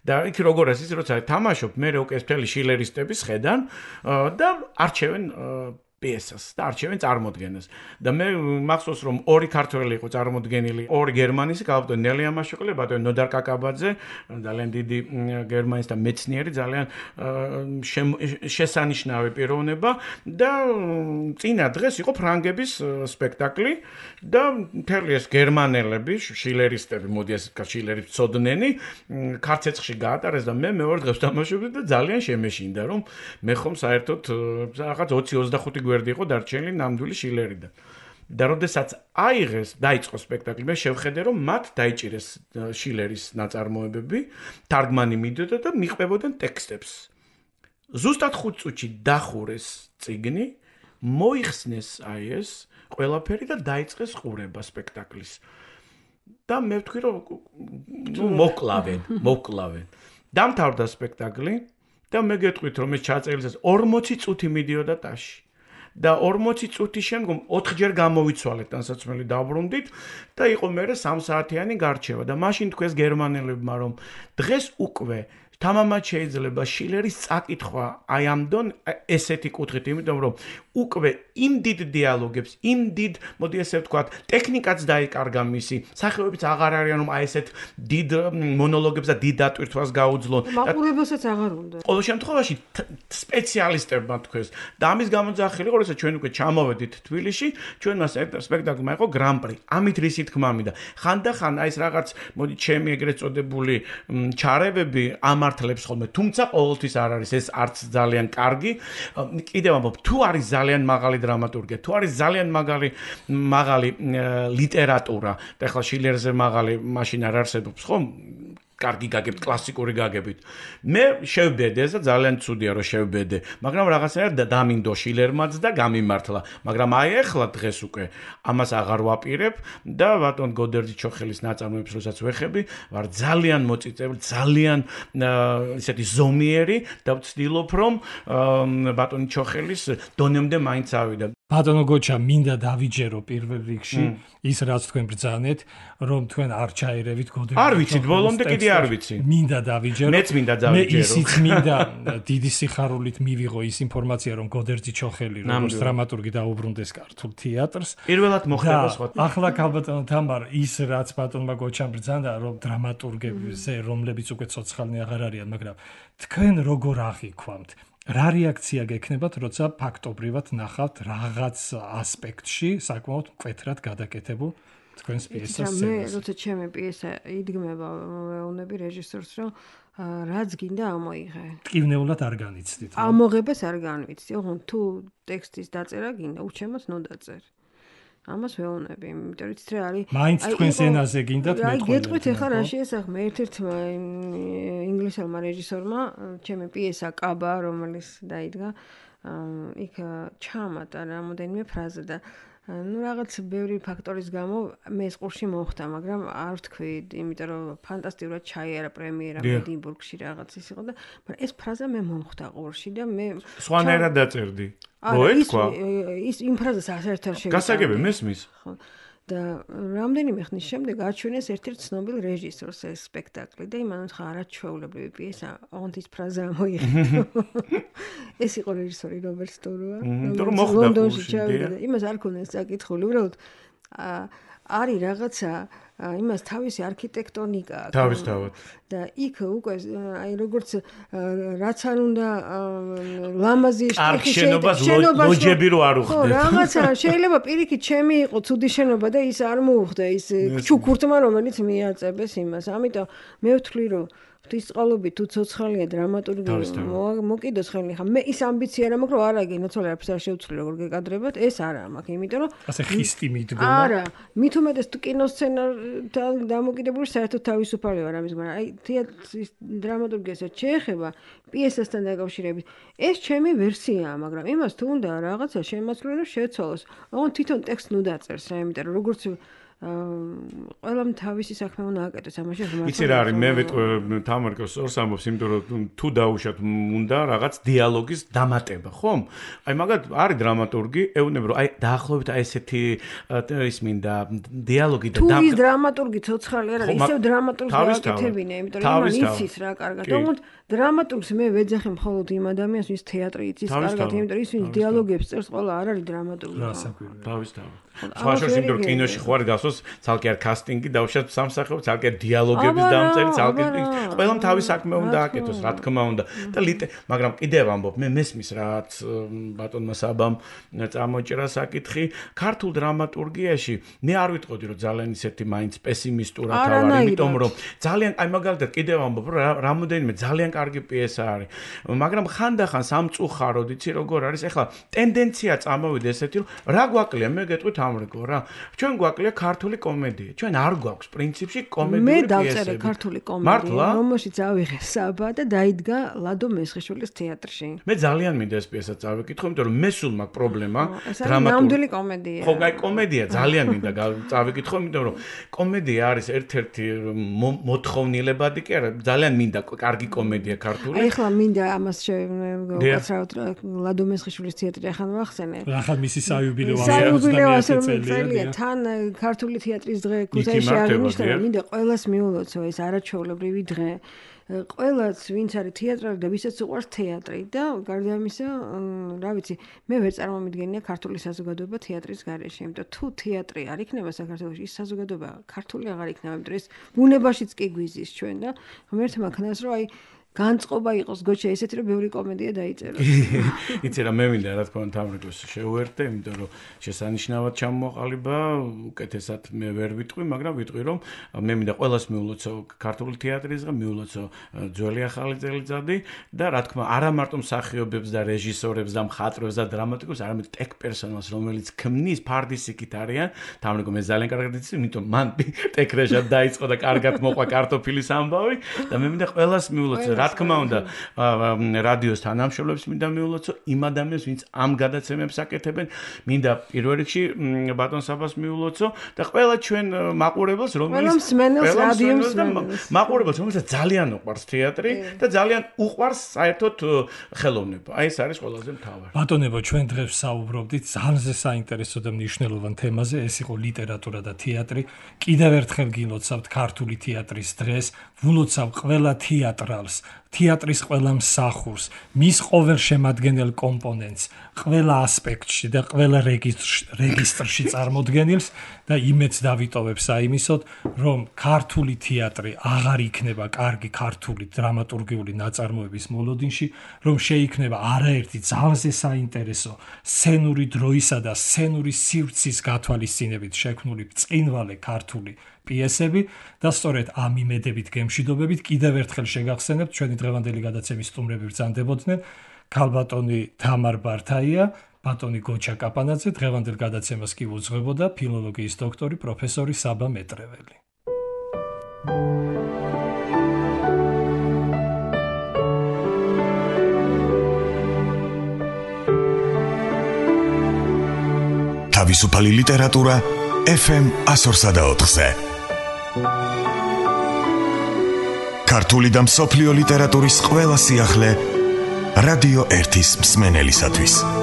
და იქ როგორ არის ის როცა თამაშობ მე უკვე მთელი შილერისტების ხედან და არჩევენ პიესას და არჩევენ წარმოდგენას და მე მახსოვს რომ ორი ქართველი იყო წარმოდგენილი ორი გერმანისი გავაბდო ნელია მაშოკლე ბატონი ნოდარ კაკაბაძე ძალიან დიდი გერმანის და მეცნიერი ძალიან შესანიშნავი პიროვნება და წინა დღეს იყო ფრანგების სპექტაკლი და მთელი ეს გერმანელები შილერისტები მოდი ეს შილერის ცოდნენი ქართეცხში გაატარეს და მე მეორე დღეს თამაშობდი და ძალიან შემეშინდა რომ მე ხომ საერთოდ რაღაც ოცი ოცდახუთი გვერდი იყო დარჩენილი ნამდვილი შილერიდან. და როდესაც აიღეს, დაიწყო სპექტაკლი, მე შევხედე რომ მათ დაიჭირეს შილერის ნაწარმოებები, თარგმანი მიდოდა და მიყვებოდნენ ტექსტებს. ზუსტად ხუთ წუთში დახურეს წიგნი, მოიხსნეს აი ეს ყველაფერი და დაიწყეს ყურება სპექტაკლის. და მე ვთქვი რომ ნუ მოკლავენ, მოკლავენ. დამთავრდა სპექტაკლი და მე გეტყვით რომ ეს ჩაწერილს ორმოცი წუთი მიდიოდა ტაში. და ორმოცი წუთის შემდგომ ოთხჯერ გამოვიცვალეთ თანსაცმელი დაბრუნდით და იყო მერე სამ საათიანი გარჩევა და მაშინ თქვეს გერმანელებმა რომ დღეს უკვე თამამად შეიძლება შილერის წაკითხვა აი ამ დონ ესეთი კუთხით იმიტომ რომ უკვე იმ დიდ დიალოგებს იმ დიდ მოდი ესე ვთქვათ ტექნიკაც დაიკარგა მისი სახეობებიც აღარ არიან რომ აი ესეთ დიდ მონოლოგებს და დიდ დატვირთვას გაუძლონ მაყურებელსაც აღარ უნდა ყოველ შემთხვევაში სპეციალისტებმა თქვეს და ამის გამოძახილი იყო როცა ჩვენ უკვე ჩამოვედით თბილისში ჩვენმა სპექტაკლმა იყო გრან-პრი ამით რისი თქმა მინდა ხანდახან აი ეს რაღაც მოდი ჩემი ეგრეთ წოდებული ჩარევები ამართლებს ხოლმე თუმცა ყოველთვის არ არის ეს არც ძალიან კარგი კიდევ ამბობ თუ არის ძალიან მაღალი დრამატურგია თუ არის ძალიან მაღალი მაღალი ლიტერატურა და ახლა შილერზე მაღალი მაშინ არ არსებობს ხო კარგი გაგებთ კლასიკური გაგებით მე შევბედე და ძალიან ცუდია რომ შევბედე მაგრამ რაღაცნაირად დამინდო შილერმაც და გამიმართლა მაგრამ აი ახლა დღეს უკვე ამას აღარ ვაპირებ და ბატონ გოდერძი ჩოხელის ნაწარმოებს როსაც ვეხები ვარ ძალიან მოწიწებული ძალიან ისეთი ზომიერი და ვცდილობ რომ ბატონი ჩოხელის დონემდე მაინც ავიდა ბატონო გოჩა მინდა დავიჯერო პირველ რიგში ის რაც თქვენ ბრძანეთ რომ თქვენ არ ჩაერევით გოდები არ ვიცით ბოლომდე კიდე არ ვიცი მინდა დავიჯერო მეც მინდა დავიჯერო მე ისიც მინდა დიდი სიხარულით მივიღო ის ინფორმაცია რომ გოდერძი ჩოხელი როგორც დრამატურგი დაუბრუნდეს ქართულ თეატრს პირველად მოხდება სხვა ახლა ქალბატონო თამარ ის რაც ბატონმა გოჩამ ბრძანდა რომ დრამატურგებზე რომლებიც უკვე ცოცხალნი აღარ არიან მაგრამ თქვენ როგორ აღიქვამთ რა რეაქცია გექნებათ, როცა ფაქტობრივად ნახავთ რაღაც ასპექტში საკმაოდ მკვეთრად გადაკეთებულ თქვენს პიესას სცენას? მე როცა ჩემი პიესა იდგმება, ვეუბნები რეჟისორს, რომ რაც გინდა ამოიღე. ტკივნეულად არ განიცდით. ამოღებას არ განვიცდი. ოღონდ თუ ტექსტის დაწერა გინდა, უჩემოთ ნუ დაწერ. ამას ვეუბნები, იმიტომ რომ იცით რა არის. მაინც თქვენს ენაზე გინდათ მე აი გეტყვით ახლა რა შეესახმა ერთ-ერთმა ინგლისელმა რეჟისორმა ჩემი პიესა კაბა რომელიც დაიდგა იქ ჩამატა რამოდენიმე ფრაზა და ну რაღაც ბევრი ფაქტორის გამო მე ეს ყურში მოხდა, მაგრამ არ ვთქვი, იმიტომ რომ ფანტასტიკურად ჩაიარა პრემიერა ედინბურგში რაღაც ის იყო და მაგრამ ეს ფრაზა მე მომხდა ყურში და მე სხვანაირად დაწერდი. მოეთქვა? ის იმ ფრაზას საერთოდ არ შევიტანდი. გასაგები მესმის. ხო. და რამდენიმე ხნის შემდეგ აჩვენეს ერთ-ერთ ცნობილ რეჟისორს ეს სპექტაკლი და იმან უთხრა არაჩვეულებრივი პიესა, ოღონდ ის ფრაზა მოიღე. ეს იყო რეჟისორი რობერტ სტუროა, რომელიც ლონდონში ჩავიდა და იმას არ ქონდეს საკითხული, უბრალოდ არის რაღაცა იმას თავისი არქიტექტონიკა აქვს. თავისთავად. და იქ უკვე აი როგორც რაც არ უნდა ლამაზი შტიქი შენობა ლოჯები რო არ უხდე. ხო, რაღაცა შეიძლება პირიქით ჩემი იყო ცუდი შენობა და ის არ მოუხდა ის ჩუქურთმა რომელიც მიაწებეს იმას. ამიტომ მე ვთვლი რომ ღვთისწყალობით თუ ცოცხალია დრამატურგი მოკიდოს ხელი ხა მე ის ამბიცია რა მაქვს რომ არა გინოცვალე არაფერს არ შევცვლი როგორ გეკადრებათ ეს არა მაქვს იმიტომ რომ ასე ხისტი მიდგომა არა მით უმეტეს თუ კინოსცენართან დამოკიდებული საერთოდ თავისუფალი ვარ ამის მაგრამ აი თეატრის დრამატურგიასაც შეეხება პიესასთან დაკავშირებით ეს ჩემი ვერსიაა მაგრამ იმას თუ უნდა რაღაცა შემოწმო რომ შეცვალოს ოღონდ თვითონ ტექსტს ნუ დაწერს რა იმიტომ რომ როგორც ყველამ თავისი საქმე უნდა აკეთოს ამაში რომ იცი რა არის მე ვიტყვი თამარკოს ორს ამბობს იმიტომ რომ თუ დაუშვათ უნდა რაღაც დიალოგის დამატება ხომ აი მაგათ არის დრამატურგი ეუბნება რომ აი დაახლოებით აი ესეთი ის მინდა დიალოგი და თუ ის დრამატურგი ცოცხალი არ არის ისევ დრამატურგს გააკეთებინა იმიტომ რომ იმან იცის რა კარგად თუმცა დრამატურგს მე ვეძახი მხოლოდ იმ ადამიანს ვის თეატრი იცის კარგად იმიტომ რომ ის ვის დიალოგებს წერს ყველა არ არის დრამატურგი თავისთავად სხვა შორს იმიტომ რომ კინოში ხوار გასოს ცალკე არ კასტინგი დავუშვათ სამსახიობ ცალკე დიალოგების დამწერი ცალკე ყველამ თავის საქმე უნდა აკეთოს რა თქმა უნდა და მაგრამ კიდევ ამბობ მე მესმის რაც ბატონმა საბამ წამოჭრა საკითხი ქართულ დრამატურგიაში მე არ ვიტყოდი რომ ძალიან ისეთი მაინც პესიმისტურად ვარ იმიტომ რომ ძალიან აი მაგალითად კიდევ ამბობ რომ რამოდენიმე ძალიან კარგი პიესა არის მაგრამ ხანდახან სამწუხაროდ იცი როგორ არის ეხლა ტენდენცია წამოვიდა ესეთი რომ რა გვაკლია მე გეტყვით ამრიგო რა ჩვენ გვაკლია ქართული კომედია ჩვენ არ გვაქვს პრინციპში კომედიური პიესები მე დავწერე ქართული კომედია რომელშიც ავიღე საბა და დაიდგა ლადო მესხიშვილის თეატრში მე ძალიან მინდა ეს პიესა წავიკითხო იმიტომ რომ მე სულ მაქვს პრობლემა დრამატურგი კომედია ხო აი კომედია ძალიან მინდა წავიკითხო იმიტომ რომ კომედია არის ერთ-ერთი მოთხოვნილებადი კი არა ძალიან მინდა კარგი კომედია ქართული აი ახლა მინდა ამას შევაცრავთ ლადო მესხიშვილის თეატრი ახლა ვახსენე ახლა მისი საიუბილეო წელია თან ქართული თეატრის დღე ქუთაისში აღნიშნა მინდა ყველას მიულოცო ეს არაჩვეულებრივი დღე ყველას ვინც არის თეატრალი და ვისაც უყვარს თეატრი და გარდა ამისა რა ვიცი მე ვერ წარმომიდგენია ქართული საზოგადოება თეატრის გარეშე იმიტომ თუ თეატრი არ იქნება საქართველოში ის საზოგადოება ქართული აღარ იქნება იმიტომ ეს ბუნებაშიც კი გვიზის ჩვენ და ღმერთმა ქნას რომ აი განწყობა იყოს გოჩა ესეთი რომ ბევრი კომედია დაიწეროს. იცი რა მე მინდა რა თქმა უნდა თამრიკოს შეუერთდე, იმიტომ რომ შესანიშნავად ჩამოყალიბა, უკეთესად მე ვერ ვიტყვი, მაგრამ ვიტყვი რომ მე მინდა ყველას მიულოცო ქართული თეატრის დღე, მიულოცო ძველი ახალი წელიწადი და რა თქმა არა მარტო მსახიობებს და რეჟისორებს და მხატვრებს და დრამატიკოსებს, არამედ ტექ პერსონალს, რომელიც ქმნის ფარდისიკით არიან, თამრიკო მე ძალიან კარგად იცი, იმიტომ მან ტექ რეჟად დაიწყო და კარგად მოყვა კარტოფილის ამბავი და მე მინდა ყველას მიულოცო რა თქმა უნდა, რადიოს თანამშრომლებს მინდა მიულოცო, იმ ადამიანებს, ვინც ამ გადაცემებს აკეთებენ, მინდა პირველ რიგში ბატონ საბას მიულოცო და ყველა ჩვენ მაყურებელს, რომელიც მსმენელს რადიოს მაყურებელს, რომელსაც ძალიან უყვარს თეატრი და ძალიან უყვარს საერთოდ ხელოვნება. აი ეს არის ყველაზე მთავარი. ბატონებო, ჩვენ დღეს საუბრობდით ძალზე საინტერესო და მნიშვნელოვან თემაზე, ეს იყო ლიტერატურა და თეატრი. კიდევ ერთხელ გილოცავთ ქართული თეატრის დღეს, ვილოცავ ყველა თეატრალს, თეატრის ყველა მსახურს, მის ყოველ შემადგენელ კომპონენტს, ყველა ასპექტში და ყველა რეგისტრში წარმოდგენილს და იმედს დავიტოვებ საიმისოდ, რომ ქართული თეატრი აღარ იქნება კარგი ქართული დრამატურგიული ნაწარმოების მოლოდინში, რომ შეიქმნება არაერთი ძალზე საინტერესო სცენური დროისა და სცენური სივრცის გათვალისწინებით შექმნული ბრწყინვალე ქართული პიესები და სწორედ ამ იმედებით გემშვიდობებით კიდევ ერთხელ შეგახსენებთ ჩვენი დღევანდელი გადაცემის სტუმრები ბრძანდებოდნენ ქალბატონი თამარ ბართაია, ბატონი გოჩა კაპანაძე, დღევანდელ გადაცემას კი უძღვებოდა ფილოლოგიის დოქტორი პროფესორი საბა მეტრეველი. თავისუფალი ლიტერატურა ეფ ემ ასორსა და ოთხზე. ქართული და მსოფლიო ლიტერატურის ყველა სიახლე რადიო ერთის მსმენელისათვის.